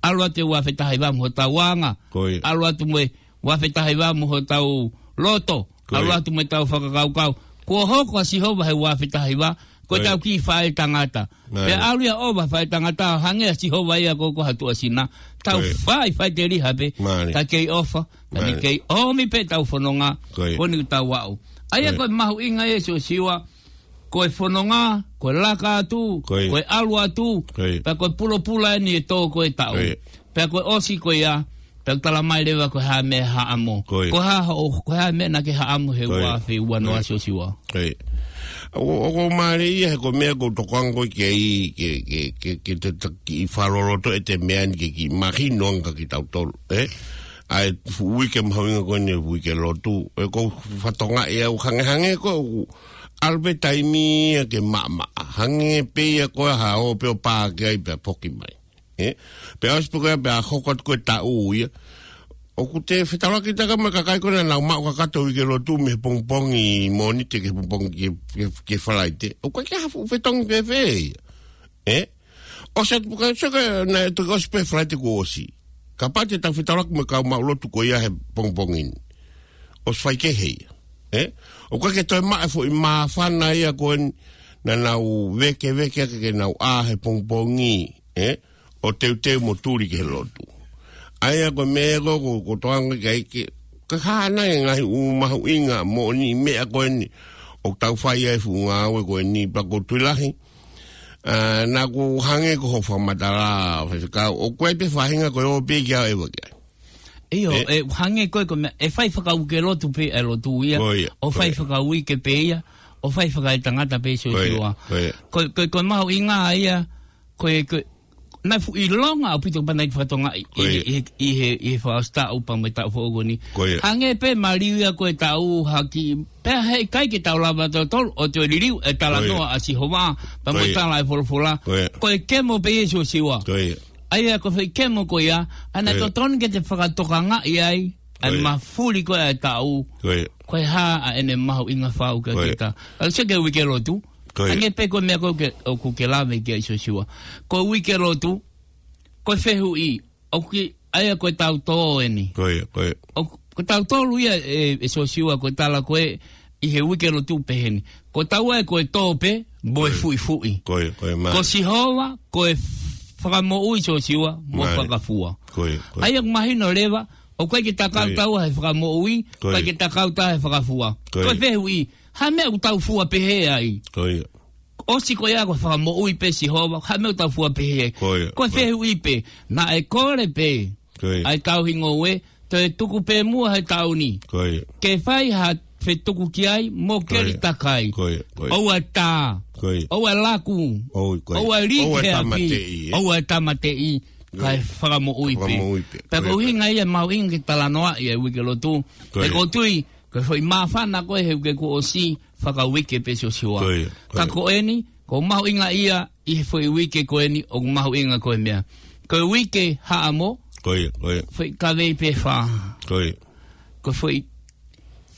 ʻAlu atu e ua afe taha hiva mo hotau anga. Ko ia. ʻAlu atu mo e ua afe taha hiva mo hotau loto. Ko ia. ʻAlu atu mo ʻetau fakakaukau. Kuo hoko ʻa Sihova he ua afe taha hiva. Ko Ko ia. ʻetau kiʻi faʻētangata. Ko ia. Pea ʻalu ia ʻo ʻova faʻētangata, hangē ʻa Sihova ia ko, ko ha tuʻasina. Tau Ko ia. fai, fai te liha pē. Mālie. Ka kei ʻofa, ka ne Mālie. kei ʻomi pē ʻetau fononga, Ko ia. ko eni ʻoku tau aʻu. ʻA ia Ko ia. ko e mahuʻinga ia Siosiua, ko e fononga, ko e laka atu, Ko ia. ko e ʻalu atu, Ko ia. pea ko e pulopula eni ʻe tō ko e taʻu. Ko ia. Pea ko e ʻosi ko ia, pea ʻoku tala mai leva ko e hā e meʻa haʻamo. Ko ia. Ko e hā hoʻo, ko e hā e meʻa naʻa ke haʻamo he Ko ia. ua afe ua noa Ko ia. Siosiua. Ko ia. ʻOku, ʻoku mālie ia he ko e meʻa ʻoku ou tokanga ko ē ki ai, ke, ke, ke, ke te, te kiʻi fakaloloto ʻete meʻa ni ke kiʻi mahino ange kia kitautolu, ē? ʻA e fuʻu uike mahuʻinga ko eni uike lotu, ē, ʻoku ou fakatokangaʻi au hangehangē ko ē ʻoku ʻalu pē taimi ia ke maʻamaʻa. Hangē pē ia ko e hā ʻo pē ʻo pā ki ai pea foki mai. Ē? Pea ʻosi pē ko ia pea hoko atu ko e taʻu ia. ʻOku te fetaulaki taka mo e kakai ko ē naʻa nau maʻu kakato uike lotu mei he pongipongi Mōnite ki he pongipongi ki he, ki he, ki he Falaite. ʻOku ʻikai ke ha fuʻu fetongi fēfē ia. Ē? ʻOsi atu pē ko ia, sio ko ē naʻe toki ʻosi pē Falaite kuo ʻosi. Kapau te tau fetaulaki mo e kau maʻu lotu ko ia he pongipongi ni. ʻOsi fai kehe ia. Ē? ʻOku ʻikai ke toe maʻu e foʻi māfana ia ko eni naʻa nau vēkeveke ake ke nau ʻā he pongipongi. Ē? ʻO teuteu mo tuli ki he lotu. ʻA ia ko e meʻa ko ē ʻoku, ʻoku ou tokanga ki ai ke, ke hā nai e ngaahi ʻū mahuʻinga moʻoni meʻa ko eni ʻoku tau fai ai e fuʻu ngāue ko eni pea ʻoku ou tui lahi. ʻA, naʻa ku hangē ko hoʻo fakamatala, Faifekau, ʻoku ʻi ai pē faʻahinga ko e ō pē ki ai ʻo ʻeva ki ai. ʻIo, Ē? ʻe hangē ko e ko e meʻa, ʻe fai fakauike lotu pē ʻa e lotu ia, Ko ia, ʻo ko fai ia. fakauike pē ia, ʻo fai fakaetangata pē Ko ia, Siosiua. ko ia. Ko, ko, ko e mahuʻinga ia, ko e, ko e, naʻe fuʻu ʻilonga ʻaupito pea naʻe fakatokangaʻi Ko ʻi, ia. ʻi, ʻi he, ʻi he fakaʻosi taʻu pea mo e taʻu foʻou ko eni. Ko ia. Hangē pē maliu ia ko e taʻu haki, pea heʻikai ke tau lava tautolu ʻo toe liliu e talanoa Ko ia. ʻa Sihova, pea Ko mo e ia. tala e folofola. Ko ia. Ko e kemo pē ia Siosiua. Ko ia. ʻA ia ko e foʻi kemo ko ia, ʻa ia naʻe Ko ia. totonu ke te fakatokangaʻi ai, ʻa e Ko ia. mafuli ko ē ʻa e taʻu. Ko ia. Ko e hā ʻa ʻene mahuʻinga fau kia Ko ia. kita. ʻA ia sio ki he uike lotu. Ko ia. Hangē pē ko e meʻa ko ē ke, ʻoku ke lave ki ai Siosiua. Ko e uike lotu, ko e fehuʻi, ʻoku ke, ʻa ia ko e tautō eni. Ko ia, ko ia. ʻOku, ko e tautolu ia ʻe, ʻe Siosiua ko e tala ko ē ʻi he uike lotu pehē ni. Ko taua ē ko e tō pē, mo e fuʻifuʻi. Ko ia, ko ia, mālie. Ko Sihova, ko e fakamoʻui Siosiua, mo e fakafua. Ko ia, ko ia. ʻA ia ʻoku mahino leva, ʻoku ʻikai ke ta kau taua he fakamoʻui, ʻikai ke ta kau taua he fakafua. Ko ia. Ko e fehuʻi, hā e meʻa ʻoku tau fua pehē ai? Ko ia. ʻOsi ko ia ko e fakamoʻui pē Sihova, hā e meʻa ʻoku tau fua pehē ai? Ko ia. Ko e fehuʻi pē, naʻe kole pē ʻa e tauhi ngoue, toe tuku pē muʻa he taʻu ni. Ko ia. Ke fai ha fetuku ki ai, mo keli takai. Ko ia, ko ia. ʻOua ʻe tā. Ko ia. ʻOua ʻe laku. ʻOua, ko ia. ʻOua ʻe lī ki he afi. ʻOua ʻe tāmateʻi, ē? ʻOua ʻe tāmateʻi. Ko ia. Kae fakamoʻui pē. Fakamoʻui pē. Pea ko e ʻuhinga ia mahuʻinga ke talanoaʻi e uike lotu. Ko ia. He ʻoku ou tui, ko e foʻi māfana ko ē he uike kuo ʻosi, fakauike pē Siosiua. Ko ia, ko ia. Ka ko eni, ʻoku mahuʻinga ia ʻi he foʻi uike ko eni, ʻoku mahuʻinga ko e meʻa. Ko e uike Haʻamo, ko ia, ko ia. Foʻi kavei pē fā. Ko ia. Ko e foʻi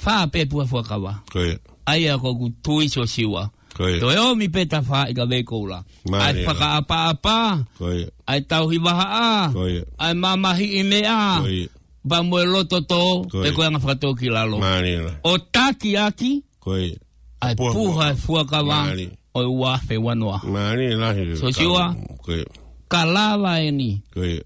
fā pē puha fuakava. Ko ia. ʻA ia ʻoku ou tui Siosiua. Ko ia. Toe ʻomi pē ta fā ʻi kavei koula. Mālie. ʻA e fakaʻapaʻapa. Ko ia. ʻA e tauhi vahaʻa. Ko ia. ʻA e mamahiʻi meʻa. Ko ia. Pea mo e loto tō, ko ia. Pea ko e anga fakatōkilalo. Mālie. ʻO taki ʻaki, ko ia. ʻA e puha, puha fuakava, mālie. ʻO e ua afe ua noa. Mālie lahi. Siosiua, ka, ko ia. Ka lava eni. Ko ia.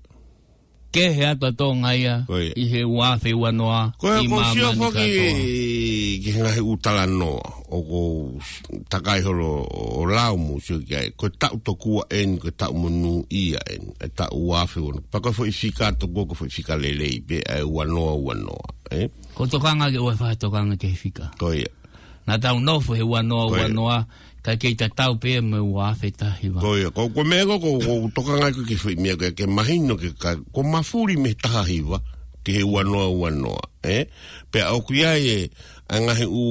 Kehe atu ʻa Tonga ia, ko ia. ʻI he ua afe ua noa, ko ia, ʻi māmani kātoa. Ko Siosiua foki ki he ngaahi ʻū talanoa, ʻoku ou takai holo ʻo lau mo sio ki ai. Ko e taʻu tokua eni, ko e taʻu monūʻia eni. E taʻu ua afe ua noa. Pea ko e foʻi fika tokua, ko e foʻi fika lelei pē, ʻa e ua noa ua noa, ē? ʻOku ou tokanga ke ʻoua ʻe faʻa tokanga ki he fika. Ko ia. Naʻa tau nofo he ua noa ua noa, ka kei tatau pē mo e ua afe taha hiva. Ko ia, ko, ko e meʻa ko, ko, ʻoku ou tokanga ki he foʻi meʻa ko ē ke mahino ke ka, ko e mafuli mei he taha hiva, ki he ua noa ua noa, ē? Pea ʻoku ʻi ai e, ʻa e ngaahi ʻū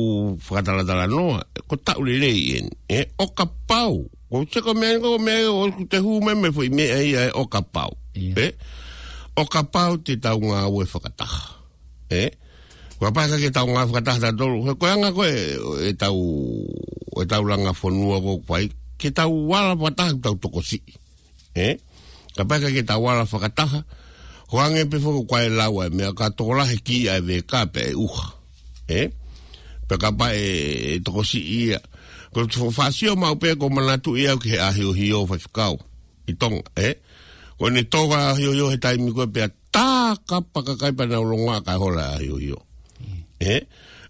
fakatalatalanoa, ko e taʻu lelei eni, ē? ʻO kapau, ko e seko meʻa ko e meʻa ʻoku te hū mai mei he foʻi meʻa ia ē ʻo kapau, ē? ʻO kapau te tau ngāue fakataha, ē? Kapau ʻikai ke tau ngāue fakataha tautolu, he ko e anga ko ē ʻetau, ʻetau langa fonua ko ē ʻoku fai, ke tau ala fakataha, tau tokosiʻi. Ē? Kapau ʻikai ke tau ala fakataha, ʻoku hangē pē foki ko e lau ʻa e meʻa ka tokolahi ki ʻa e veka pea ʻe ʻuha. Ē? Pea kapau ʻe, ʻe tokosiʻi ia. Ko e fo-, fāsio maʻu pē ʻoku ou manatuʻi au ki he ʻahiohio faifekau ʻi Tonga, ē? Ko ʻene toka ʻahiohio he taimi ko ē pea tā kapa kakai pea nau longoaʻa kae hola ʻahiohio. Ē?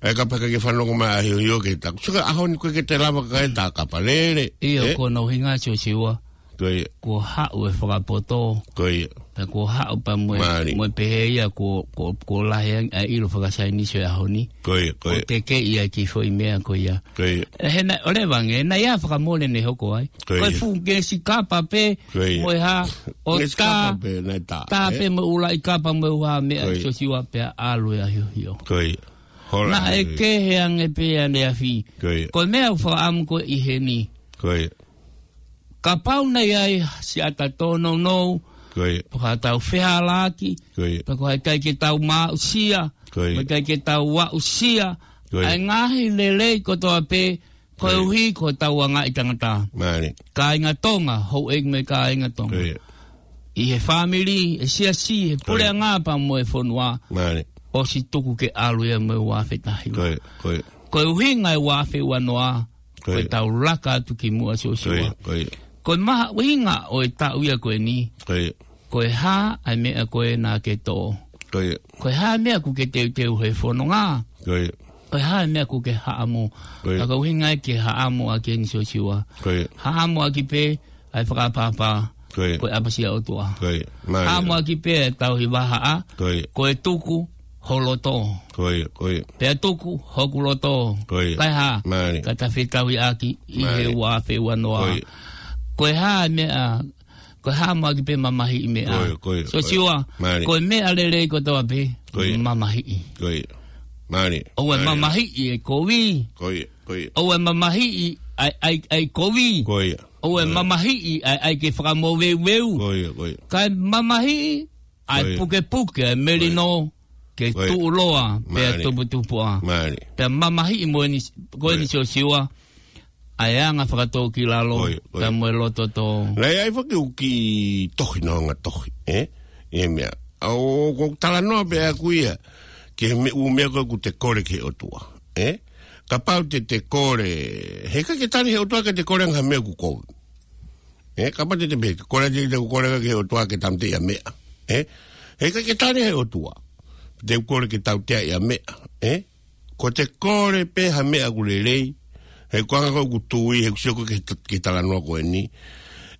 ʻA ia kapau ʻikai ke fanongo mai ʻahiohio ke tā. Sio ki he ʻaho ni ko ē ke te lava kakai tā kapa lele. ʻIo, ē? Ko hono ʻuhinga Siosiua. Ko ia. Kuo haʻu e fakapoto. Ko ia. Pea kuo haʻu pea mo e, mālie. Mo e pehē ia kuo, kuo, kuo lahi ange ʻa e ʻilo fakasaienisi ʻo e ʻaho ni. Ko ia, ko ia. ʻO tekeʻi ʻa e kiʻi foʻi meʻa ko ia. Ko ia. ʻE, he naʻe, ʻo leva ange, naʻe ʻi ai e fakamolemole ʻene hoko ai. Ko ia. Ko e fuʻu ngesi kapa pē, ko ia. Mo e hā, ʻo ngesi tā, kapa pē, naʻe tā, tā ē? Pē mo e ʻū laʻi kapa mo e ʻū hā meʻa, ko ia. Siosiua pea ʻalu e ʻahiohio. Ko ia. Hola, naʻe ē. Kehe ange pē ʻaneafi. Ko ia. Ko e meʻa ʻoku ou fakaʻamu ko ē ʻi heni. Ko ia. Kapau naʻe ʻi ai siʻa ta tōnounou, ko ia. Pea ka tau fehālaaki, ko ia. Pea ko hai ʻikai ke tau maʻusia, ko ia. Mo e ʻikai ke tau aʻusia, ko ia. ʻA e ngaahi lelei kotoa pē, ko ia. Koeʻuhi ko hotau anga ʻi tangata. Mālie. Kāinga Tonga, houʻeiki mo e kāinga Tonga. Ko ia. ʻI he fāmili, ʻi he siasi, ʻi he puleʻanga pea mo e fonua. Mālie. ʻOsi tuku ke ʻalu ia mo e ua afe taha hiva. Ko ia, ko ia. Ko e ʻuhinga e ua afe ua noa, ko ia. Ko ʻetau laka atu ki muʻa Siosiua. Ko ia, ko ia. Ko e mahuʻinga ʻo e taʻu ia ko eni. Ko ia. Ko e hā ʻa e meʻa ko ē naʻa ke toʻo. Ko ia. Ko e hā e meʻa ʻoku ke teuteu he fononga. Ko ia. Ko e hā e meʻa ʻoku ke haʻamo. Ko ia. Ka ko e ʻuhinga ia ke haʻamo ʻaki eni Siosiua. Ko ia. Haʻamo ʻaki pē ʻa e fakaʻapaʻapa. Ko ia. Ko e ʻapasia ʻOtua. Ko ia. Mālie. Haʻamo ʻaki pē ʻa e tauhi vahaʻa. Ko ia. Ko e tuku ho loto. Ko ia, ko ia. Pea tuku hoku loto. Ko ia. Kae hā. Mālie. Ka ta fetauhiʻaki ʻi he, mālie. Ua afe ua noa. Ko ia. Ko e hā e meʻa, ko e haʻamo ʻaki pē mamahiʻi meʻa. Ko ia, ko ia, ko ia. Siosiua, mālie. Ko e meʻa lelei kotoa pē, ko ia. Mamahiʻi. Ko ia. Mālie. ʻOua ʻe, mālie. Mamahiʻi e kovi. Ko ia, ko ia. ʻOua ʻe mamahiʻi ʻa e, ʻa e, ʻa e kovi. Ko ia. ʻOua ʻe, ko ia. Mamahiʻi ʻa e, ʻa e ke fakamoveuveu. Ko ia, ko ia. Kae mamahiʻi ʻa e, ko ia. Pukepuke, ʻa e melino, ko ia. Ke, ko ia. Tuʻuloa, pea, mālie. Tuputupuʻa. Mālie. Pea mamahiʻi mo eni, ko eni, ko ia. Siosiua. ʻa e anga fakatōkilalo, Ko ia, ko ia. pea mo e loto tō. Naʻe ʻi ai foki ʻū kiʻi tohi, nonga tohi, ē? ʻI he meʻa. ʻA ʻoku ou talanoa pē ʻaʻaku ia, ki he meʻa, ʻū meʻa ko ē ʻoku te kole ki he ʻOtua, ē? Kapau te te kole, heʻikai ke tali he ʻOtua ke te kole ange ha meʻa ʻoku kovi. Ē, kapau te te pehē, kole te te kole ki he ʻOtua ke tāmateʻi ha meʻa. Ē? Heʻikai ke tali he ʻOtua. Te u kole ke tauteaʻi ha meʻa. Ē? Ko te kole pē ha meʻa ʻoku lelei, he ko e anga ko ē ʻeku tui, he ʻoku ou sio ko ē ki he ta-, ki he talanoa ko eni.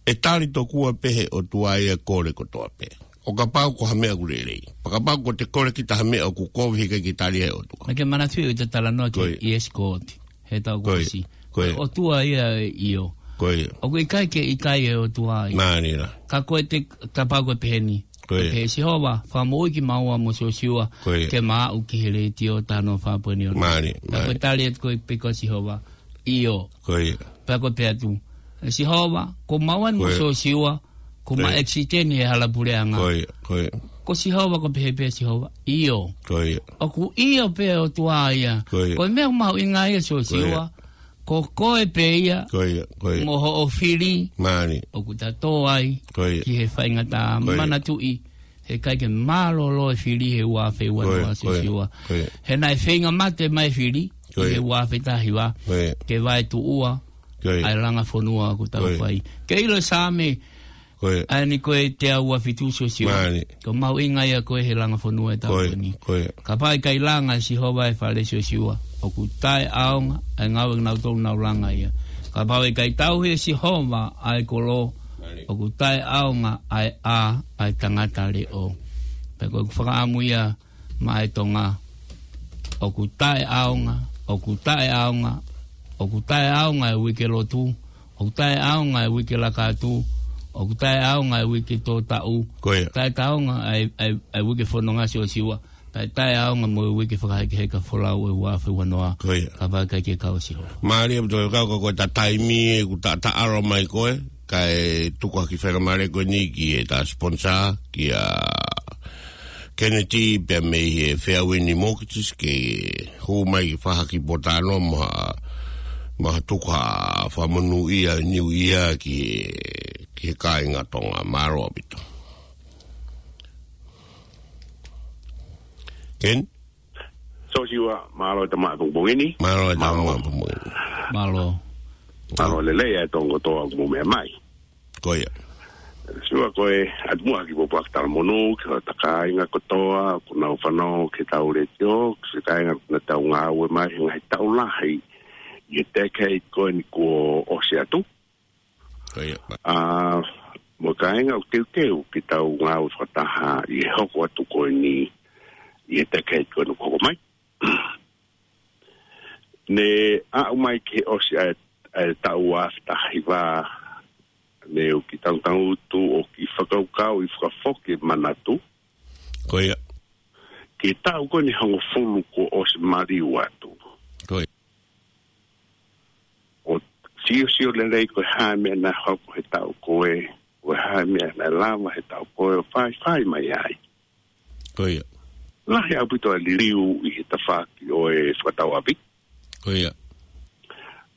ʻE tali tokua pē he ʻOtua ia e kole kotoa pē. ʻO kapau ko ha meʻa ʻoku lelei. Pea kapau ko te kole kita ha meʻa ʻoku kovi, heʻikai ke tali he ʻOtua. Naʻa ke manatuʻi ʻa e talanoa ki Ko ia. ʻIesikoti. He taʻu Ko ia. kuo ʻosi. Ko ia. ʻOtua ia ʻio. Ko ia. ʻOku ʻikai ke ʻikai e ʻOtua ia. Mālie lā. Ka ko e te, kapau ko e pehē ni. Ko ia. Pehē Sihova, fakamoʻui kimaua mo Siosiua, Ko ia. ke ma aʻu ki he letiō taha noa fā poini ono. Mālie, Ka ko e mālie. tali atu ko ē pē ko Sihova, ʻio. Ko ia. Pea ko e pehē atu, Sihova, ko maua mo Ko ia. Siosiua, ko ma Ko ia. ekisiteni he hala puleʻanga. Ko ia, ko ia. Ko Sihova, ko e pehē pē Sihova, ʻio. Ko ia. ʻOku ʻio pē ʻOtua ia. Ko ia. Ko e meʻa mahuʻinga ia Siosiua. Ko ia. Ko koe pē ia. Ko ia, ko ia. Mo hoʻo fili. Mālie. ʻOku ta tō ai. Ko ia. Ki he faingataʻa Ko ia. manatuʻi. Heʻikai ke mālōlō e fili he ua afe ua noa Ko ia, ko ia, Siosiua. ko ia. He naʻe feinga mate mai e fili. Ko ia. He ua afe taha hiva. Ko ia. Ke vae tuʻua. Ko ia. ʻA e langa fonua ʻoku tau Ko ia. fai. Ke ʻilo Saame. Ko ia. ʻA eni ko e teau ua fitu Siosiua. Mālie. Ko e mahuʻinga ia ko ē he langa fonua ʻe tau Ko ia, ni. ko ia. Kapau ʻe ʻikai langa ʻe Sihova e fale Siosiua. ʻOku taʻeʻaonga ʻa e ngāue ʻa kinautolu naʻa nau langa ia. Kapau ʻe ʻikai tauhi ʻe Sihova ʻa e kolo. Mālie. ʻOku taʻeʻaonga ʻa e ʻā ʻa e tangata leʻo. Pea ko ʻeku fakaʻamu ia maʻa e Tonga. ʻOku taʻeʻaonga, ʻoku taʻeʻaonga, ʻoku taʻeʻaonga e uike lotu, ʻoku taʻeʻaonga e uike laka atu, ʻoku taʻeʻaonga e uike tō taʻu, Ko ia. taʻetaʻeʻaonga e, e, e uike fononga Siosiua, taʻe, taʻeʻaonga mo e uike fakahekeheka folau ʻo e ua afe ua noa. Ko ia. Kapau ʻe ʻikai ke kau ʻa Sihova. Mālie ʻaupito kau ka ko e ta taimi ē ʻoku ta, ta ʻalu mai ko ē, kae tuku ʻa e kiʻi faingamālie ko eni ki he ta sponsor, kia Kennedy, pea mei he Fairwind Mortgages, ke hū mai ki he faʻahi ki Potano, mo ha, mo ha tuku ha fakamonūʻia New Year ki he, ki he kāinga Tonga. Mālō ʻaupito. Ken? Siosiua, mālō e tamaʻi pongipongi ni. Mālō e tamaʻi Mālō. pongipongi ni. Mālō. Mālō lelei e tongo toa mo meʻa mai. Ko ia. Siosiua ko e ʻatu muʻa ha kiʻi pōpoaki talamonū, ki hota kāinga kotoa, ʻoku nau fanongo ki heʻetau letiō, ki he kāinga ʻoku nau ngāue mai, he ngaahi taʻu lahi, ʻi he decade ko eni kuo ʻosi atu. Ko ia. ʻA, mo e kāinga ʻoku teuteu ke tau ngāue fakataha ʻi he hoko atu ko eni, ʻi he decade ko eni ʻoku hoko mai. Ne aʻu mai ki he ʻosi ʻa e, ʻa e taʻu ua afe taha hiva, ne u kiʻi tangutangutu ʻo kiʻi fakakaukauʻi fakafoki e manatu. Ko ia. Ki he taʻu ko eni hongofulu kuo ʻosi maliu atu. Ko ia. ʻO siosio lelei ko e hā e meʻa naʻe hoko he taʻu ko ē, ko e hā e meʻa naʻe lava he taʻu ko ē ʻo faifai mai ai. Ko ia. Lahi ʻaupito e liliu ʻi he tafaʻaki ʻo e fakatauʻapi. Ko ia.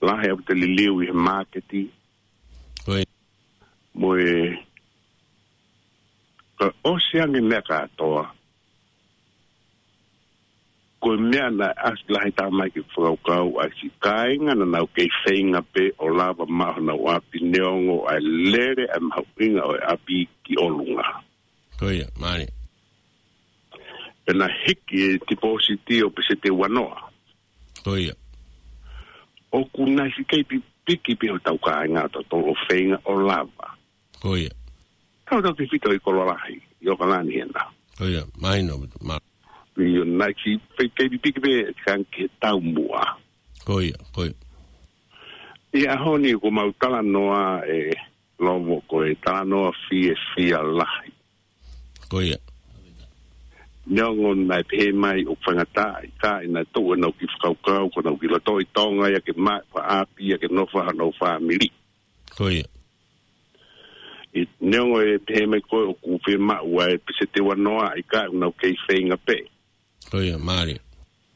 Lahi ʻaupito e liliu ʻi he māketi. Ko ia. Mo e ka ʻosi ange meʻa kātoa. Ko e meʻa naʻe ʻasi lahi taha mai ke fakakaukau ai siʻi kāinga naʻa nau kei feinga pē ʻo lava maʻu honau ʻapi neongo ʻa e lele ʻa e mahuʻinga ʻo e ʻapi ki ʻolunga. Ko ia, mālie. Pea naʻe hiki e tipōsiti ʻo peseti ua noa. Ko ia. ʻOku nau ʻosi kei pipiki pē hotau kāinga ʻo tautolu ʻo feinga ʻo lava. Ko ia. Kau tau ke fito ʻi Kololahi, ʻi ʻOkalani hena. Ko ia, mahino, ma- ʻIo, naʻe ʻosi kei pipiki pē, kang ke tau muʻa. Ko ia, ko ia. ʻI he ʻaho ni ʻoku mau talanoa ʻe Lovo ko e talanoa fiefia lahi. Ko ia. Neongo naʻe pehē mai ʻoku faingataʻa, ʻikai, naʻe tuʻu ʻenau kiʻi fakakaukau, ko ʻenau kiʻi loto ʻi Tonga ia ke maʻu ha ʻapi ia ke nofo ai honau fāmili. Ko ia. ʻI, neongo ʻe pehē mai ko ē ʻoku fiemaʻu ʻa e peseti ua noa, ʻikai, ʻoku nau kei feinga pē. Ko ia, mālie.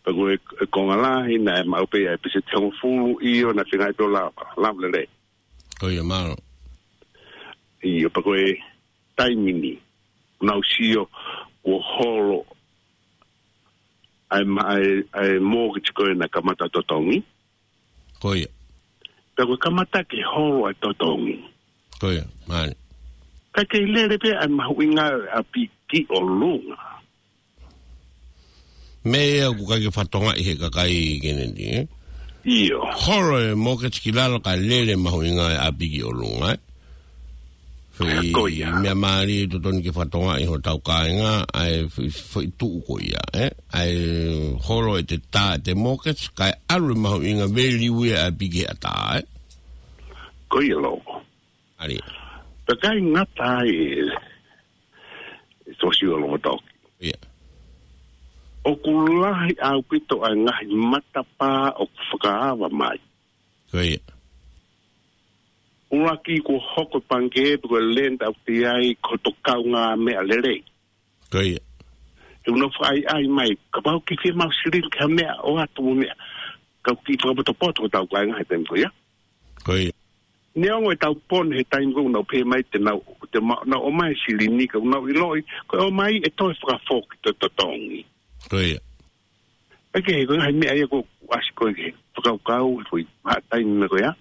Pea ko e, e konga lahi naʻe maʻu pē ʻa e peseti hongofulu, ʻio, naʻe feinga pē ʻo lava, lava lelei. Ko ia, mālō. ʻIo, pea ko e taimi ni, naʻa ku sio kuo holo ʻa e ma-, ʻa e, ʻa e mortgage ko ē naʻe kamata totongi. Ko ia. Pea ko e kamata ke holo ʻa e totongi. Ko ia, mālō. Ka ke lele pē ʻa e mahuʻinga ʻo e ʻapi ki ʻolunga. Meʻa ia ʻoku ʻikai ke fatongia ʻe he kakai Kennedy, ē? ʻIo. Holo e mortgage ki lalo kae lele mahuʻinga e ʻapi ki ʻolunga, ē? Foʻi Ko ia. meʻa mālie totonu ke fatongia ʻe hotau kāinga, ʻa e foʻi, foʻi tuʻu ko ia, ē? ʻA e holo ʻete tā ʻete mortgage, kae ʻalu e mahuʻinga value ia ʻapi ki he ʻatā, ē? Ko ia lō. Ari. Pea ʻikai ngata ai e, e sosio lomotoki. Ia. ʻOku lahi ʻaupito ʻa e ngaahi matapā ʻoku fakaava mai. Ko ia. ʻUluaki kuo hoko e pangikē pe ko e lender ʻoku ʻi ai ko hoto kaungāmeʻa lelei. Ko ia. He ʻoku nau fakaʻaiʻai mai, kapau ʻoku ke fiemaʻu silini ki ha meʻa ʻoatu mo e meʻa. Ka ʻoku kiʻi fakapotopoto hotau kāinga he taimi ko ia. Ko ia. Neongo ʻetau pone he taimi ko ē ʻoku nau pehē mai te nau, te ma-, nau ʻomai e silini ka ʻoku nau ʻiloʻi, ko e ʻomai ʻe toe fakafoki toe totongi. Ko ia. ʻIkai ke, ko e ngaahi meʻa ia ʻoku ʻasi ko ē ke fakakaukau, ko e hā taimi meʻa ko ia.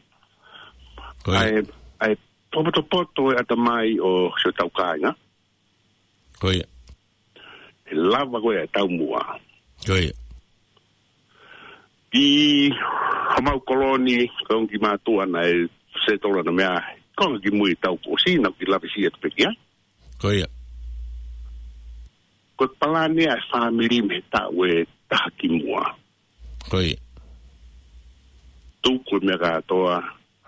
Ko ia. ʻA e, ʻa e potopoto e ʻatamai ʻo siʻotau kāinga. Ko ia. ʻE lava ko ē ʻa e taumuʻa. Ko ia. ʻI homau koloni, ko e ongo kiʻi mātuʻa naʻe settle ʻana meʻa, konga kimui ʻetau kuo ʻosi, naʻa ku kiʻi lave siʻi atu pē ki ai. Ko ia. Ko e palani ʻa e fāmili mei he taʻu ʻe taha kimuʻa. Ko ia. Tuku e meʻa kātoa,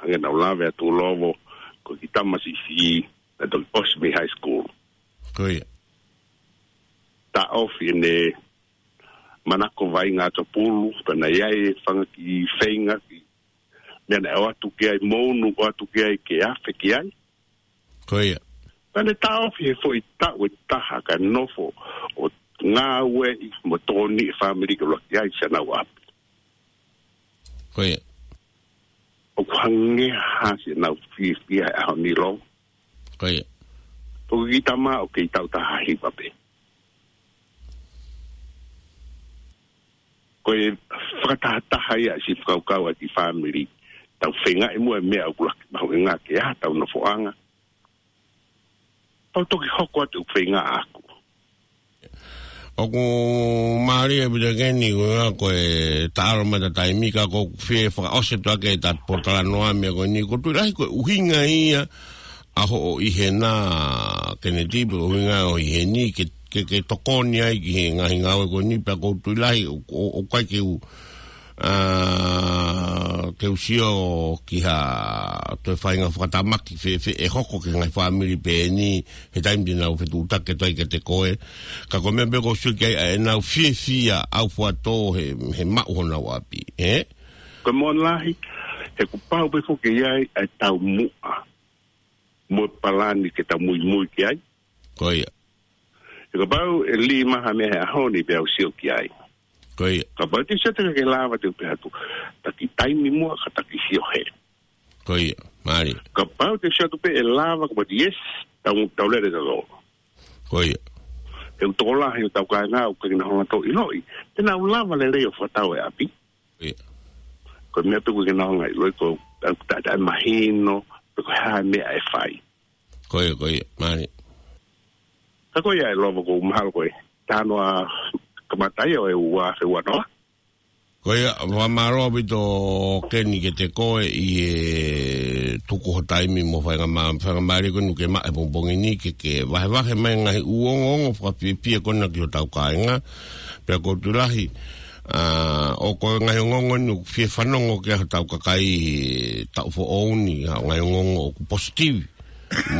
hangē naʻa ku lave atu ʻi lovo, ko e kiʻi tama siʻisiʻi, naʻe toki ʻosi mei high school. Ko ia. Taʻofi ʻene manako vaʻinga ʻa Tupou, pea naʻe ʻi ai e fanga kiʻi feinga, kiʻi meʻa naʻe ʻoatu ki ai, mo ʻunu ʻoatu ki ai ke afe ki ai. Ko ia. Pea ne taʻofi he foʻi taʻu ʻe taha kae nofo ʻo ngāueʻi mo tokoniʻi e fāmili ke ʻuluaki ʻi ai siʻanau ʻapi. Ko ia. ʻOku hangē ha siʻenau fiefia he ʻaho ni lō. Ko ia. Pea ko e kiʻi tama ʻoku kei taʻu taha hiva pē. Ko e fakatahataha ia siʻi fakakaukau ʻa e kiʻi fāmili. Tau feingaʻi muʻa e meʻa ʻoku ʻuluaki mahuʻinga ke ʻi ai hotau nofoʻanga. Tau toki hoko atu ʻeku feinga ʻaʻaku. ʻOku mālie ʻaupito Keni, ko ia ko e taʻalo mai ʻeta taimi ka ʻoku ou fie fakaʻosi atu ʻaki ʻeta pōtalanoa meʻa ko eni, ʻoku ou tui lahi ko e ʻuhinga ia ʻa hoʻo ʻi hena Kennedy, pe ʻuhinga hoʻo ʻi heni ke, ke, ke tokoni ai ki he ngaahi ngāue ko eni, pea ʻoku ou tui lahi, ʻo, ʻo, ʻoku ʻikai ke u ʻa, ke u sio ki ha toe faʻahinga fakatamaki fēfē ʻe hoko ki he ngaahi fāmili pehē ni he taimi te nau fetuʻutaki atu ai kiate koe. Ka ko e meʻa pē ʻoku ou sio ki ai ʻa ʻenau fiefia ʻaufuatō he, he maʻu honau ʻapi, ē? Ko e moʻoni lahi, he kuo pau pē foki ke ʻi ai ʻa e taumuʻa mo e palani ke tau muimui ki ai. Ko ia. He kapau ʻe lī mai ha meʻa he ʻaho ni pea u sio ki ai. Ko ia. Kapau te u sio atu ke lava te u pehē atu, taki taimi muʻa ka taki sio hē. Ko ia. Mālie. Kapau te u sio atu pē ʻe lava kapau te yes, tau, tau lele tautolu. Ko ia. He ʻoku tokolahi hotau kāinga ʻoku ʻikai ke nau hanga ʻo ʻiloʻi te nau lava lelei ʻo fakatau e ʻapi. Ko ia. Ko e meʻa pē ʻoku ʻikai ke nau hanga ʻo ʻiloʻi ko e, ʻa, ʻa, ʻa e mahino, pe ko e hā e meʻa ʻe fai. Ko ia, ko ia, mālie. Ka ko ia ʻe Lova, ʻoku ou mahalo ko e taimi ʻoku kamata ai ʻo e ua afe ua noa. Ko ia, fakamālō ʻaupito Keni kiate koe ʻi he tuku ho taimi mo e faingamā-, faingamālie ko eni ʻoku ke maʻu he pongipongi ni ke, ke vahevahe mai e ngaahi ʻū ongoongo fakafiefia ko ena ki hotau kāinga. Pea ʻoku ou tui lahi, ʻa, ʻoku ʻi ai e ngaahi ongoongo ni ʻoku fie fanongo ki ai hotau kakai he taʻu foʻou ni, ʻa e ngaahi ongoongo ʻoku positive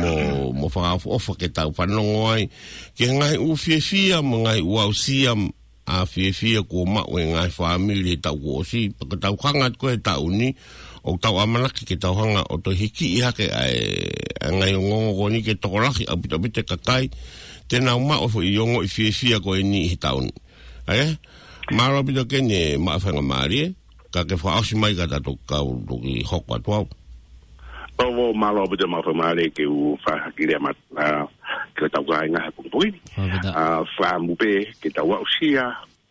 mo, mo fakaʻofoʻofa ke tau fanongo ai ki he ngaahi ʻū fiefia mo e ngaahi ʻū aʻusia, ʻa, fiefia kuo maʻu ʻe he ngaahi fāmili he taʻu kuo ʻosi, pea ko ʻetau hanga atu ko ē he taʻu ni, ʻoku tau ʻamanaki ke tau hanga ʻo toe hikiʻi hake ʻa e, ʻa e ngaahi ongoongo ko eni ke tokolahi ʻaupito ʻaupito e kakai te nau maʻu e foʻi ongoʻi fiefia ko eni he taʻu ni. ʻA ia, Mālō ʻaupito Keni, maʻu faingamālie, ka ke fakaʻosi mai ka ta toki kau toki hoko atu au. ʻOku mālō ʻaupito, maʻu faingamālie ke u fakahā ki lea mat-, ʻa, ki hotau kāinga he pongipongi ni. Mālō ʻaupito. ʻA, fakaʻamu pē ke tau aʻusia,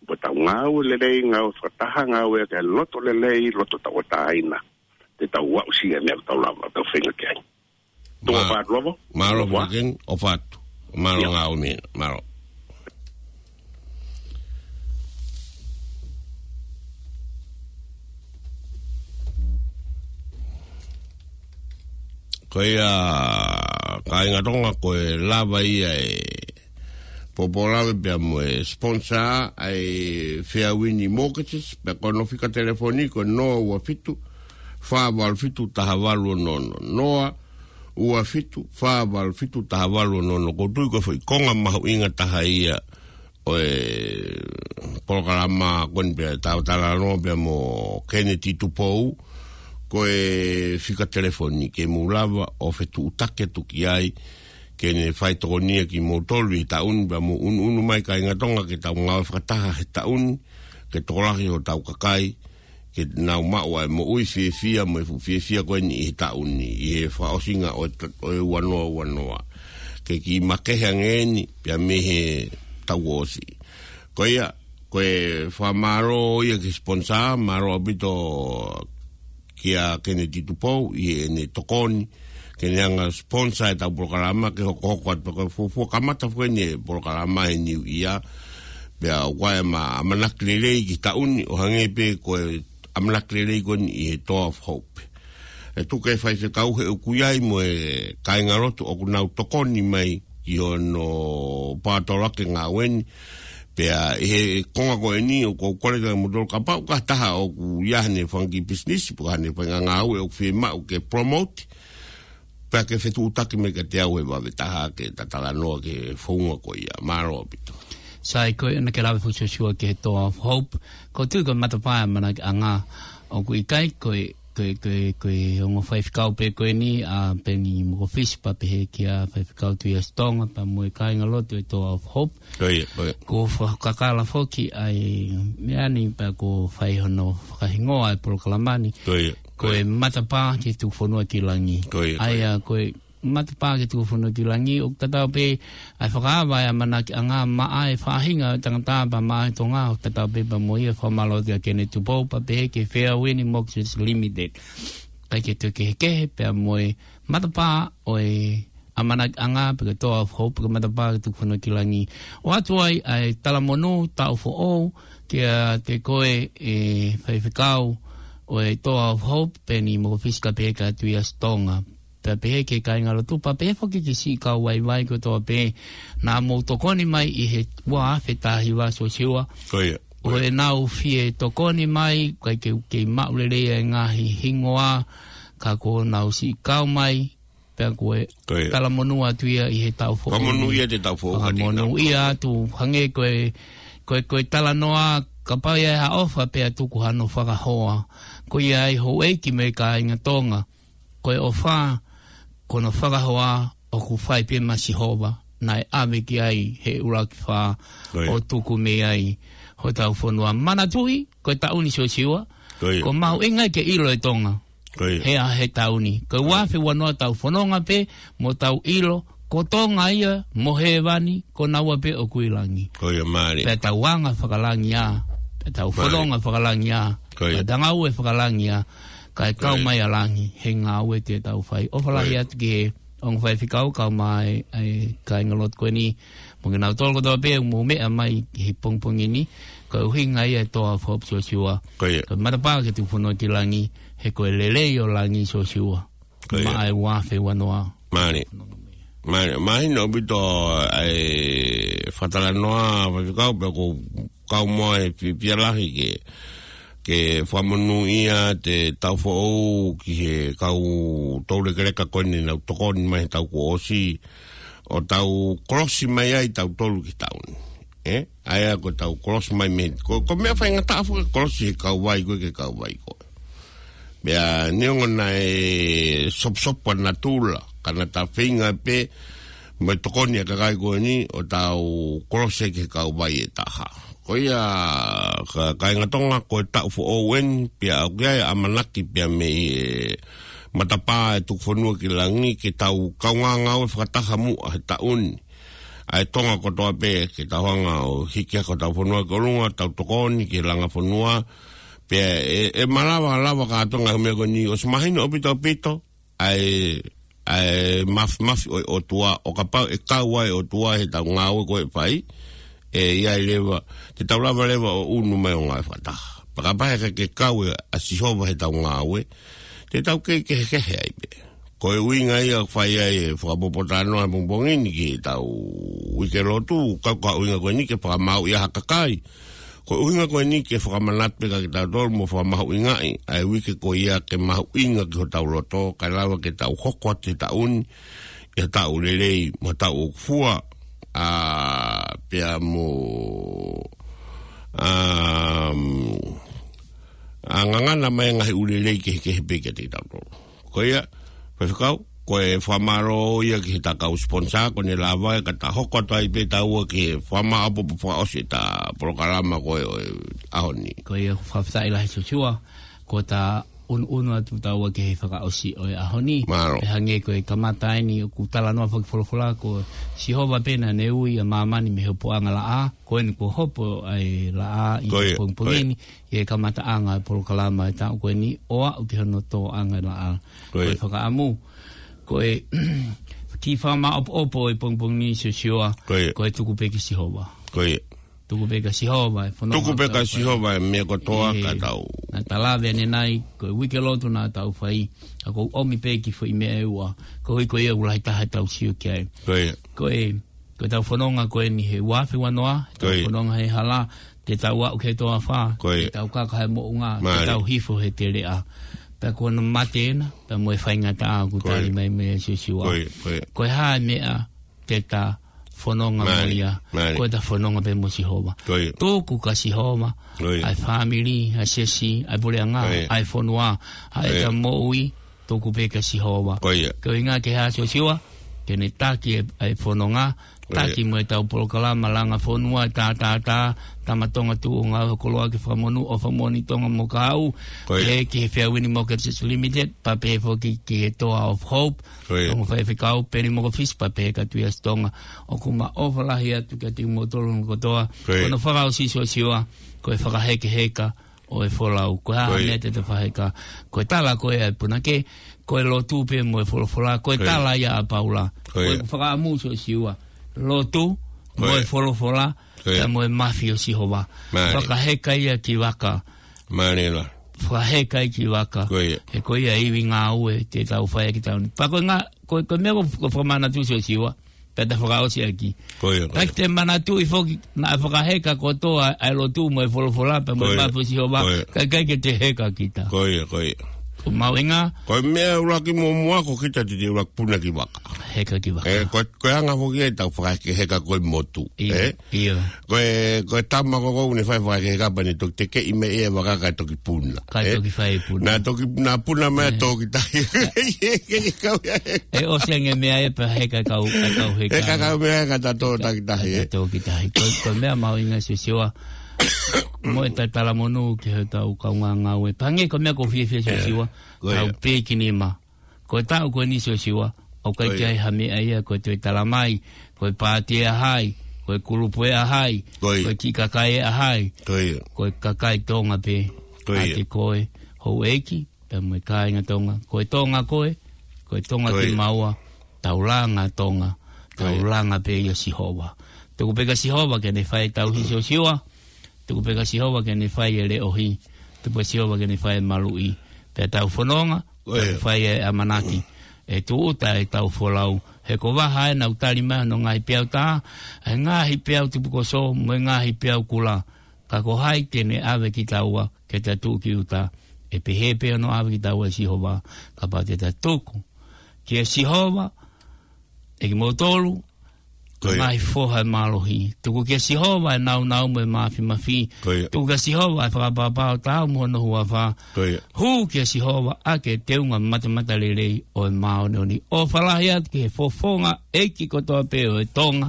mo tau ngāue lelei, ngāue fakataha, ngāue ke loto lelei, loto tauʻatāina. Te tau aʻusia meʻa tau lava, tau feinga ki ai. Tō Ma-, ʻofa atu lava. Mālō ʻaupito Keni, ʻofa atu. Mālō. ʻIo. Ngāue meʻa, mālō. Ko ia, kāinga Tonga, ko e lava ia e pōpōlave pea mo e sponsor ʻa e Fairwind Mortgages, pea ko hono fika telefoni ko e noa ua fitu, fā valu fitu, taha valu ono ono. Noa ua fitu, fā valu fitu, taha valu ono ono. ʻOku ou tui ko e foʻi konga mahuʻinga taha ia ʻo e polokalama ko eni pea tau talanoa pea mo Keneti Tupou, ko e fika telefoni ke mou lava ʻo fetuʻutaki atu ki ai, ke ne fai tokonia kimoutolu he taʻu ni, pea mou ʻunuʻunu mai kāinga Tonga ke tau ngāue fakataha he taʻu ni, ke tokolahi hotau kakai, ke nau maʻu ʻa e moʻui fiefia mo e fuʻu fiefia ko eni ʻi he taʻu ni, ʻi he fakaʻosinga ʻo e ta-, ʻo e ua noa ua noa. Ke kiʻi makehe ange eni, pea mei he taʻu kuo ʻosi. Ko ia, ko e fakamālō ia ki he sponsor, mālō ʻaupito kia Keneti Tupou ʻi heʻene tokoni, ke ne hanga sponsor ʻetau polokalama ke hokohoko atu pea ko e fuofua kamata foki eni e polokalama he New Year. Pea ʻoku ʻi ai ʻema ʻamanaki lelei ki he taʻu ni ʻo hangē pē ko e ʻamanaki lelei ko eni ʻi he Door of Hope. ʻE tuku e faifekau he ʻoku ʻi ai mo e kāingalotu ʻoku nau tokoni mai ki hono paotoloaki e ngāue ni. Pea ʻi he konga ko eni ʻoku ou kole atu kiate kimoutolu kapau ʻoku ʻi ai ha taha ʻoku ʻi ai haʻane fanga kiʻi pisinisi, pe ko haʻane faʻahinga ngāue ʻoku fiemaʻu ke promote, pea ke fetuʻutaki mai kiate au he vave taha ke ta talanoa ki he founga ko ia. Mālō ʻaupito. Sai, ko ia naʻa ke lave foki Siosiua ki he Door of Hope. ʻOku ou tui ko e matapā ʻa e ʻamanakiʻanga, ʻoku ʻikai ko e, ko e, ko e, ko e ongo faifekau pē ko eni, ʻa Peni Mokofisi pea pehē kia Faifekau Tuʻiʻasi Tonga, pea mo e kāingalotu e Door of Hope. Ko ia, ko ia. Kuo fakakakala foki ʻa e meʻa ni pea kuo fai hono fakahingoa e polokalama ni. Ko ia, ko ia. Ko e matapā ki he tuku fonua ki langi. Ko ia, ko ia. ʻA ia, ko e matapā ki he tuku fonua ki langi, ʻoku tatau pē ʻa e fakaava e ʻamanakiʻanga maʻa e faʻahinga ʻo e tangata pea maʻa e Tonga, ʻoku tatau pē pea mo ia. Fakamālō atu kia Keneti Tupou pea pehē ki he Fairwind Mortgages Limited. ʻIkai ke toe kehekehe pea mo e matapā ʻo e ʻamanakiʻanga pe ko e Door of Hope, pe ko e matapā ki he tuku fonua ki langi. ʻOatu ai ʻa e talamonū taʻu foʻou kiate koe e faifekau ʻo e Door of Hope, Peni Mokofisi pea pehē kia Tuʻiʻasi Tonga. Pea pehē ki he kāingalotu pea pehē foki ki he siʻi kau vaivai kotoa pē naʻa mou tokoni mai ʻi he ua afe taha hiva Siosiua. Ko ia. ʻO ʻenau fie tokoni mai, ʻikai ke, ke maʻu lelei e ngaahi hingoa, ka kuo nau siʻi kau mai, pea ko e Ko ia. talamonū atu ia ʻi he taʻu foʻou. Fakamonū ia te taʻu foʻou ka te Fakamonū ia atu, hangē ko e, ko e, ko e talanoa, kapau ʻe ʻi ai ha ʻofa pea tuku hano fakahoa. Ko ia ai houʻeiki mo e kāinga Tonga. Ko e ʻofa, ko hono fakahoa ʻoku fai pē maʻa Sihova, naʻe ʻave ki ai he ʻuluaki fā Ko ia. ʻo tuku mei ai hotau fonua. Manatuʻi, ko e taʻu ni Siosiua, Ko ia. ʻoku mahuʻinga ke ʻilo e Tonga. Ko ia. He ʻa he taʻu ni. Ko e ua afe ua noa tau fononga pē, mo tau ʻilo, ko Tonga ia, mo hēvani, ko naua pē ʻoku ʻi langi. Ko ia mālie. Pea tau anga fakalangi ā. Pea tau Mālie. fononga fakalangi ā. Ko ia. Pea tau ngāue fakalangi ā. Kae Ko kau ia. mai ʻa langi, he ngāue te tau fai. ʻOfa lahi Ko ia. atu ki he ongo faifekau kae ʻumaʻā e, e kāingalotu ko eni. Mo kinautolu kotoa pē ʻoku mou meʻa mai he pongipongi ni. Ko e ʻuhinga ia e Door of Hope Siosiua. Ko ia. Ko e matapā ki he tuku fonua ki langi, he ko e lelei ʻo langi Siosiua. Ko ia. Maʻa e ua afe ua noa. Mālie. Mālie, mahino ʻaupito e fakatalanoa faifekau pea ʻoku ou kau mo e fiefia lahi ke, ke fakamonūʻia te taʻu foʻou ki he kau toulekeleka ko eni naʻa nau tokoni mai he taʻu kuo ʻosi, ʻo tau kolosi mai ai tautolu ki he taʻu ni. ʻE? ʻA ia ko ʻetau kolosi mai mei, ko, ko e meʻa faingataʻa foki e kolosi he kauvai ko ē ki he kauvai ko ē. Pea neongo naʻe soposopo ʻa natula, ka naʻa ta feinga pē mo e tokoni ʻa e kakai ko eni ʻo tau kolosi ki he kauvai ʻe taha. Ko ia, ka, kāinga Tonga, ko e taʻu foʻou eni, pea ʻoku ʻi ai e ʻamanaki pea mei he matapā ʻo e tuku fonua ki langi, ke tau kaungā ngāue fakataha muʻa he taʻu ni. ʻA e Tonga kotoa pē, ke tau hanga ʻo hiki hake hotau fonua ki ʻolunga, tau tokoni ki he langa fonua, pea ʻe, ʻe malava, lava kātoa e ngaahi meʻa ko eni, ʻosi mahino ʻaupito ʻaupito, ʻa e, ʻa e mafimafi ʻo e ʻOtua, ʻo kapau ʻe kau ai e ʻOtua he tau ngāue ko ē ʻe fai, ʻe ʻi ai leva, te tau lava leva ʻo ʻunu mai ʻo ngāue fakataha. Pea kapau he ʻikai ke kau ʻa Sihova he tau ngāue, te tau kei kehekehe ai pē. Ko e ʻuhinga ia ʻoku fai ai e fakapōpōtalanoa he pongipongi ni ki he tau uike lotu, kau ka ʻuhinga ko eni ke fakamaauʻi ʻa ha kakai. Ko e ʻuhinga ko eni ke fakamanatu pē kia kitautolu mo fakamahuʻingaʻi ʻa e uike ko ia ke mahuʻinga ki hotau loto, kae lava ke tau hoko atu he taʻu ni ʻi ha taʻu lelei mo ha taʻu ʻoku fua, ʻa, pea mo, ʻa, ʻa ngangana mai e ngaahi ʻū lelei kehekehe pē kiate kitautolu. Ko ia, Faifekau, ko e fakamālō ia ki he ta kau sponsor, ko ʻene lava ia ka ta hoko atu ai pē taua ki he fakamaʻopoʻopo fakaʻosi ʻeta polokalama ko ē ʻo e ʻaho ni. Ko ia, fakafetaʻi lahi Siosiua, ko ʻeta ʻunuʻunu atu taua ki he fakaʻosi ʻo e ʻaho ni. Mālō. Pea hangē ko e kamata eni ʻoku talanoa fakafolofola ko Sihova pē naʻa ne ui ʻa māmani mei he hopoʻanga laʻā, ko eni kuo hopo ʻa e laʻā ʻi he pongipongi ni, ʻi he kamataʻanga ʻo e polokalama ʻo e taʻu ko eni ʻo aʻu ki hono tōʻanga ʻo e laʻā. Ko ia. Ko e fakaʻamu, ko e kiʻi fakamaʻopoʻopo ʻo e pongipongi ni Siosiua, ko ia, ko e tuku pē kia Sihova. Ko ia. Tuku pē kia Sihova e fononga. Tuku pē kia Sihova e meʻa kotoa ka tau. Naʻa ta lave ʻanenai, ko e uike lotu naʻa tau fai, ka ʻoku ou ʻomi pē kiʻi foʻi meʻa ʻe ua, koeʻuhi ko ia ʻoku lahi taha ʻetau sio ki ai. Ko ia. Ko e Ko ʻetau fononga ko eni he uafe uanoa, ʻetau fononga he hala, te tau aʻu ki he toafa, te tau kaka he moʻunga, te tau hifo he teleʻa. Pea ko hono mate ena, pea mo e faingataʻa ʻoku tali mai meia Siosiua. Ko e hā e meʻa te ta fononga mo ia, ko ʻeta fononga pē mo Sihova. Tuku kia Sihova ʻa e fāmili, ʻa e siasi, ʻa e puleʻanga, ʻa e fonua, ʻa ʻeta moʻui, tuku pē kia Sihova. Ko ia. Ko e ʻuhinga ke hā Siosiua, ke ne taki e, e fononga, taki mo ʻetau polokalama langa fonua, tā, tā, tā, Tama Tonga Tuʻu ʻo Ngāue Hoku Koloa ke Fakamonū, ʻOfa Moʻoni Tonga mo Kaʻu, pehē ki he Fairwind Mortgages Limited, pea pehē foki ki he Door of Hope, ko ia, ʻa e Faifekau Peni Mokofisi, pea pehē kia Tuʻiasi Tonga, ʻoku ma ʻofa lahi atu kiate kimoutolu kotoa, ko ia, ko hono fakaʻosi Siosiua, ko e fakahekeheka, ʻo e folau. Ko e hā e meʻa te ta fakaheka? Ko e tala ko ē ʻa e punake, ko e lotu pē mo e folofola, ko e tala ia ʻa Paula. Ko e fakaʻamu Siosiua. Lotu, mo e folofola, pea mo e mafi ʻo Sihova. Fakaheka ia ki vaka. Fakaheka ia ki vaka. He ko ia ivi ngāue te tau fai ʻaki tauni. Pea ko e ngā, ko, ko e meʻa ko, ko fakamanatu Siosiua. Pea ta fakaʻosi ʻaki. Ko ia, ko ia. Kae te manatuʻi foki, naʻe fakaheka kotoa ʻa e lotu mo e folofola pea mo e mafi ʻo Sihova, ka ʻikai ke te heka kita. Ko ia, ko ia. Ko e mahuʻinga. Ko e meʻa ʻuluaki muʻomuʻa ko kita te te ʻuluaki puna ki vaka. Heka ki vaka. Ko e, ko e anga foki ʻetau fakaheka ko e motu. Ia. Ko e, ko e tama ko ʻoku ne fai fakaheka pea ne toki tekeʻi mai e vaka kae toki puna. Kae toki fai puna. Naʻa toki, naʻa puna mai toki tahi. ʻE ʻosi ange meʻa ʻe pea heka kau, kau heka. Heka kau meʻa heka ta tō taki tahi. Ta tō ki tahi. Ko, ko e meʻa mahuʻinga Siosiua. Mo ʻeta talamonū ki hotau kaungā ngāue. Pea hangē ko e meʻa ʻoku ou fiefia Siosiua. Tau pē ki nima. Ko e taʻu ko eni Siosiua, ʻoku ʻikai ke ʻi ai ha meʻa ia ko e toe tala mai, ko e pāti ʻe ʻa hai, ko e kulupu ʻe ʻa hai, ko e kiʻi kakai ʻe ʻa hai, ko e kakai Tonga pē, ʻiate koe, houʻeiki, pea mo e kāinga Tonga, ko e Tonga koe, ko e Tonga kimaua, tau langa Tonga, tau langa pē ʻia Sihova. Tuku pē kia Sihova ke ne fai e tauhi Siosiua, tuku pē kia Sihova ke ne fai e leʻohi. Tuku pē Sihova ke ne fai e maluʻi. Pea tau fononga, tau fai e ʻamanaki. ʻE tūʻuta ʻetau folau. He ko Vaha ʻe nau tali mai hono ngaahi peau tā, ʻa e ngaahi peau tupukoso, mo e ngaahi peau kula. Ka ko hai te ne ʻave kitaua, ke ta tuʻu ki ʻuta. ʻE pehē pē hono ʻave kitaua ʻe Sihova, kapau te ta tuku. Kia Sihova, ʻe kimoutolu, ko e ngaahi foha ʻo e mālohi. Tuku kia Sihova e nāunau mo e māfimafi. Tuku kia Sihova e fakapapau taau mo hono huafa. Hū kia Sihova ʻaki e teunga matamatalelei ʻo e māʻoniʻoni. ʻOfa lahi atu ki he fofonga ʻeiki kotoa pē ʻo e Tonga.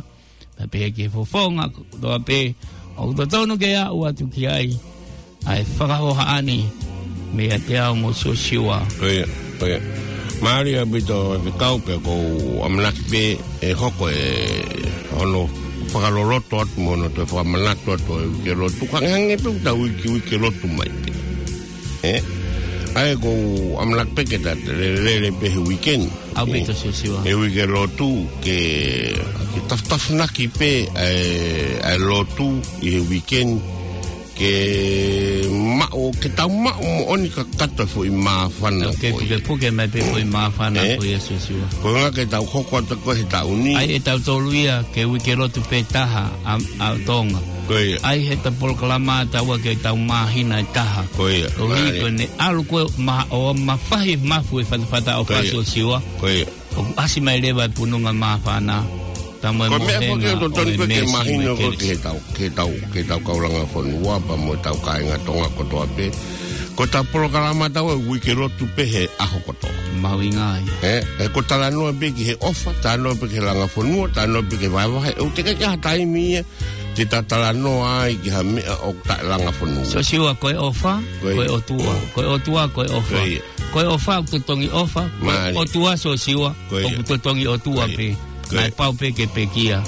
Pea pehē ki he fofonga kotoa pē ʻOku totonu ke aʻu atu ki ai ʻa e fakahohaʻa ni meiate au mo Siosiua. Ko ia, ko ia. Mālie ʻaupito e fekau pea ʻoku ou ʻamanaki pē ʻe hoko e hono fakaloloto atu mo hono toe fakamanatu atu e uike lotu. Hangehangē pē ʻoku tau uike, uike lotu mai pē. Ē? ʻA ia ʻoku ou ʻamanaki pē ke ta lele, lele pē he uike ni. ʻAupito Siosiua. He uike lotu ke, ke tafutafunaki pē ʻa e, ʻa e lotu ʻi he uike ni. Ke maʻu, ke tau maʻu moʻoni kakato e foʻi māfana ko ia. Ke pukepuke mai pē foʻi māfana ko ia Siosiua. Ko e ʻuhinga ke tau hoko atu ko ē he taʻu ni. ʻAi ʻe tautolu ia ke uike lotu pē taha ʻa, ʻa Tonga. Ko ia. ʻAi heʻetau polokalama taua ke tau māhina ʻe taha. Ko ia. Koeʻuhi ko ʻene ʻalu ko ē ma-, ʻo mafahi mafu e fatafata ʻofa Siosiua. Ko ia. ʻOku ʻasi mai leva e pununga māfana. Ko e meʻa ko ē ʻoku totonu ko ē ke mahino ko ē ki he tau, ki he tau, ki he tau kau langa fonua pea mo e tau kāinga Tonga kotoa pē. Ko ʻetau polokalama taua e uike lotu pē he ʻaho kotoa. Mahuʻinga ia. Ē, ē, ko e talanoa pē ki he ʻofa, talanoa pē ki he langa fonua, talanoa pē ki he vahevahe. ʻOku teʻeki ke ʻi ai ha taimi ia te ta talanoa ai ki ha meʻa ʻoku taʻelanga fonua. Siosiua, ko e ʻofa, ko e ʻOtua. Ko e ʻOtua, ko e ʻofa. Ko e ʻofa ʻoku totongi ʻofa, ko e ʻOtua Siosiua ʻoku totongi ʻOtua pē. Naʻe pau pē ke pekia.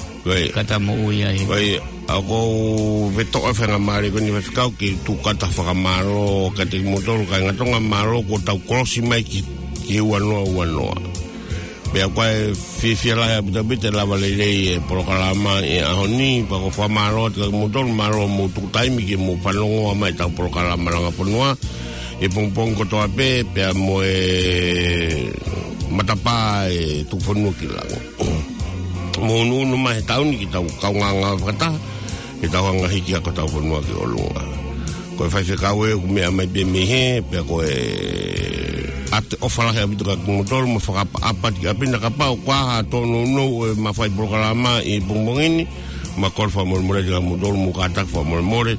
Ka ta moʻui ai. Ko ia, ʻoku ou vetoʻa e faingamālie ko eni faifekau ke tuku atu ha fakamālō kiate kimoutolu kāinga Tonga, mālō kuo tau kolosi mai ki, ki he ua noa ua noa. Pea ʻoku ou fiefia lahi ʻaupito ʻaupito e lava lelei e polokalama he ʻaho ni, pea ʻoku ou fakamālō atu kiate kimoutolu, mālō hoʻomou tuku taimi ke mou fanongo mai ʻetau polokalama langa fonua he pongipongi kotoa pē, pea mo e matapā e Tuku Fonua ki Langi. Mou ʻunuʻunu mai he taʻu ni ke tau kaungā ngāue fakataha, ke tau hanga hiki hake hotau fonua ki ʻolunga. Ko e faifekau ē ʻoku meʻa mai pē mei hē, pea ko e ʻoatu e ʻofa lahi ʻaupito kiate kimoutolu, mo fakaʻapaʻapa atu ki ʻapi na kapau ʻoku ʻi ai ha tōnounou ʻo e mafai polokalama he pongipongi ni, ma kole fakamolemole kiate kimoutolu, mo kātaki fakamolemole,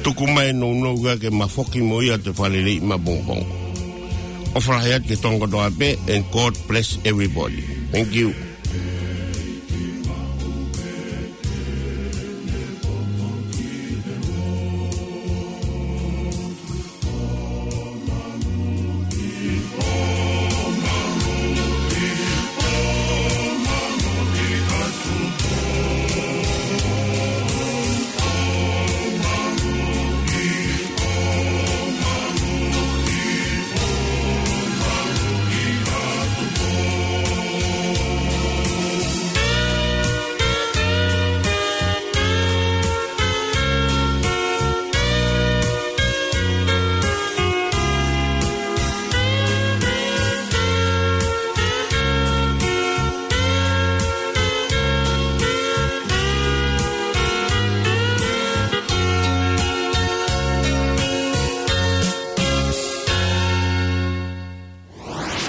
tuku mai e nounou ka ke ma foki mo ia ʻo toe fakaleleiʻi mai pongipongi. ʻOfa lahi atu ki he Tonga kotoa pē, and God bless everybody. Thank you.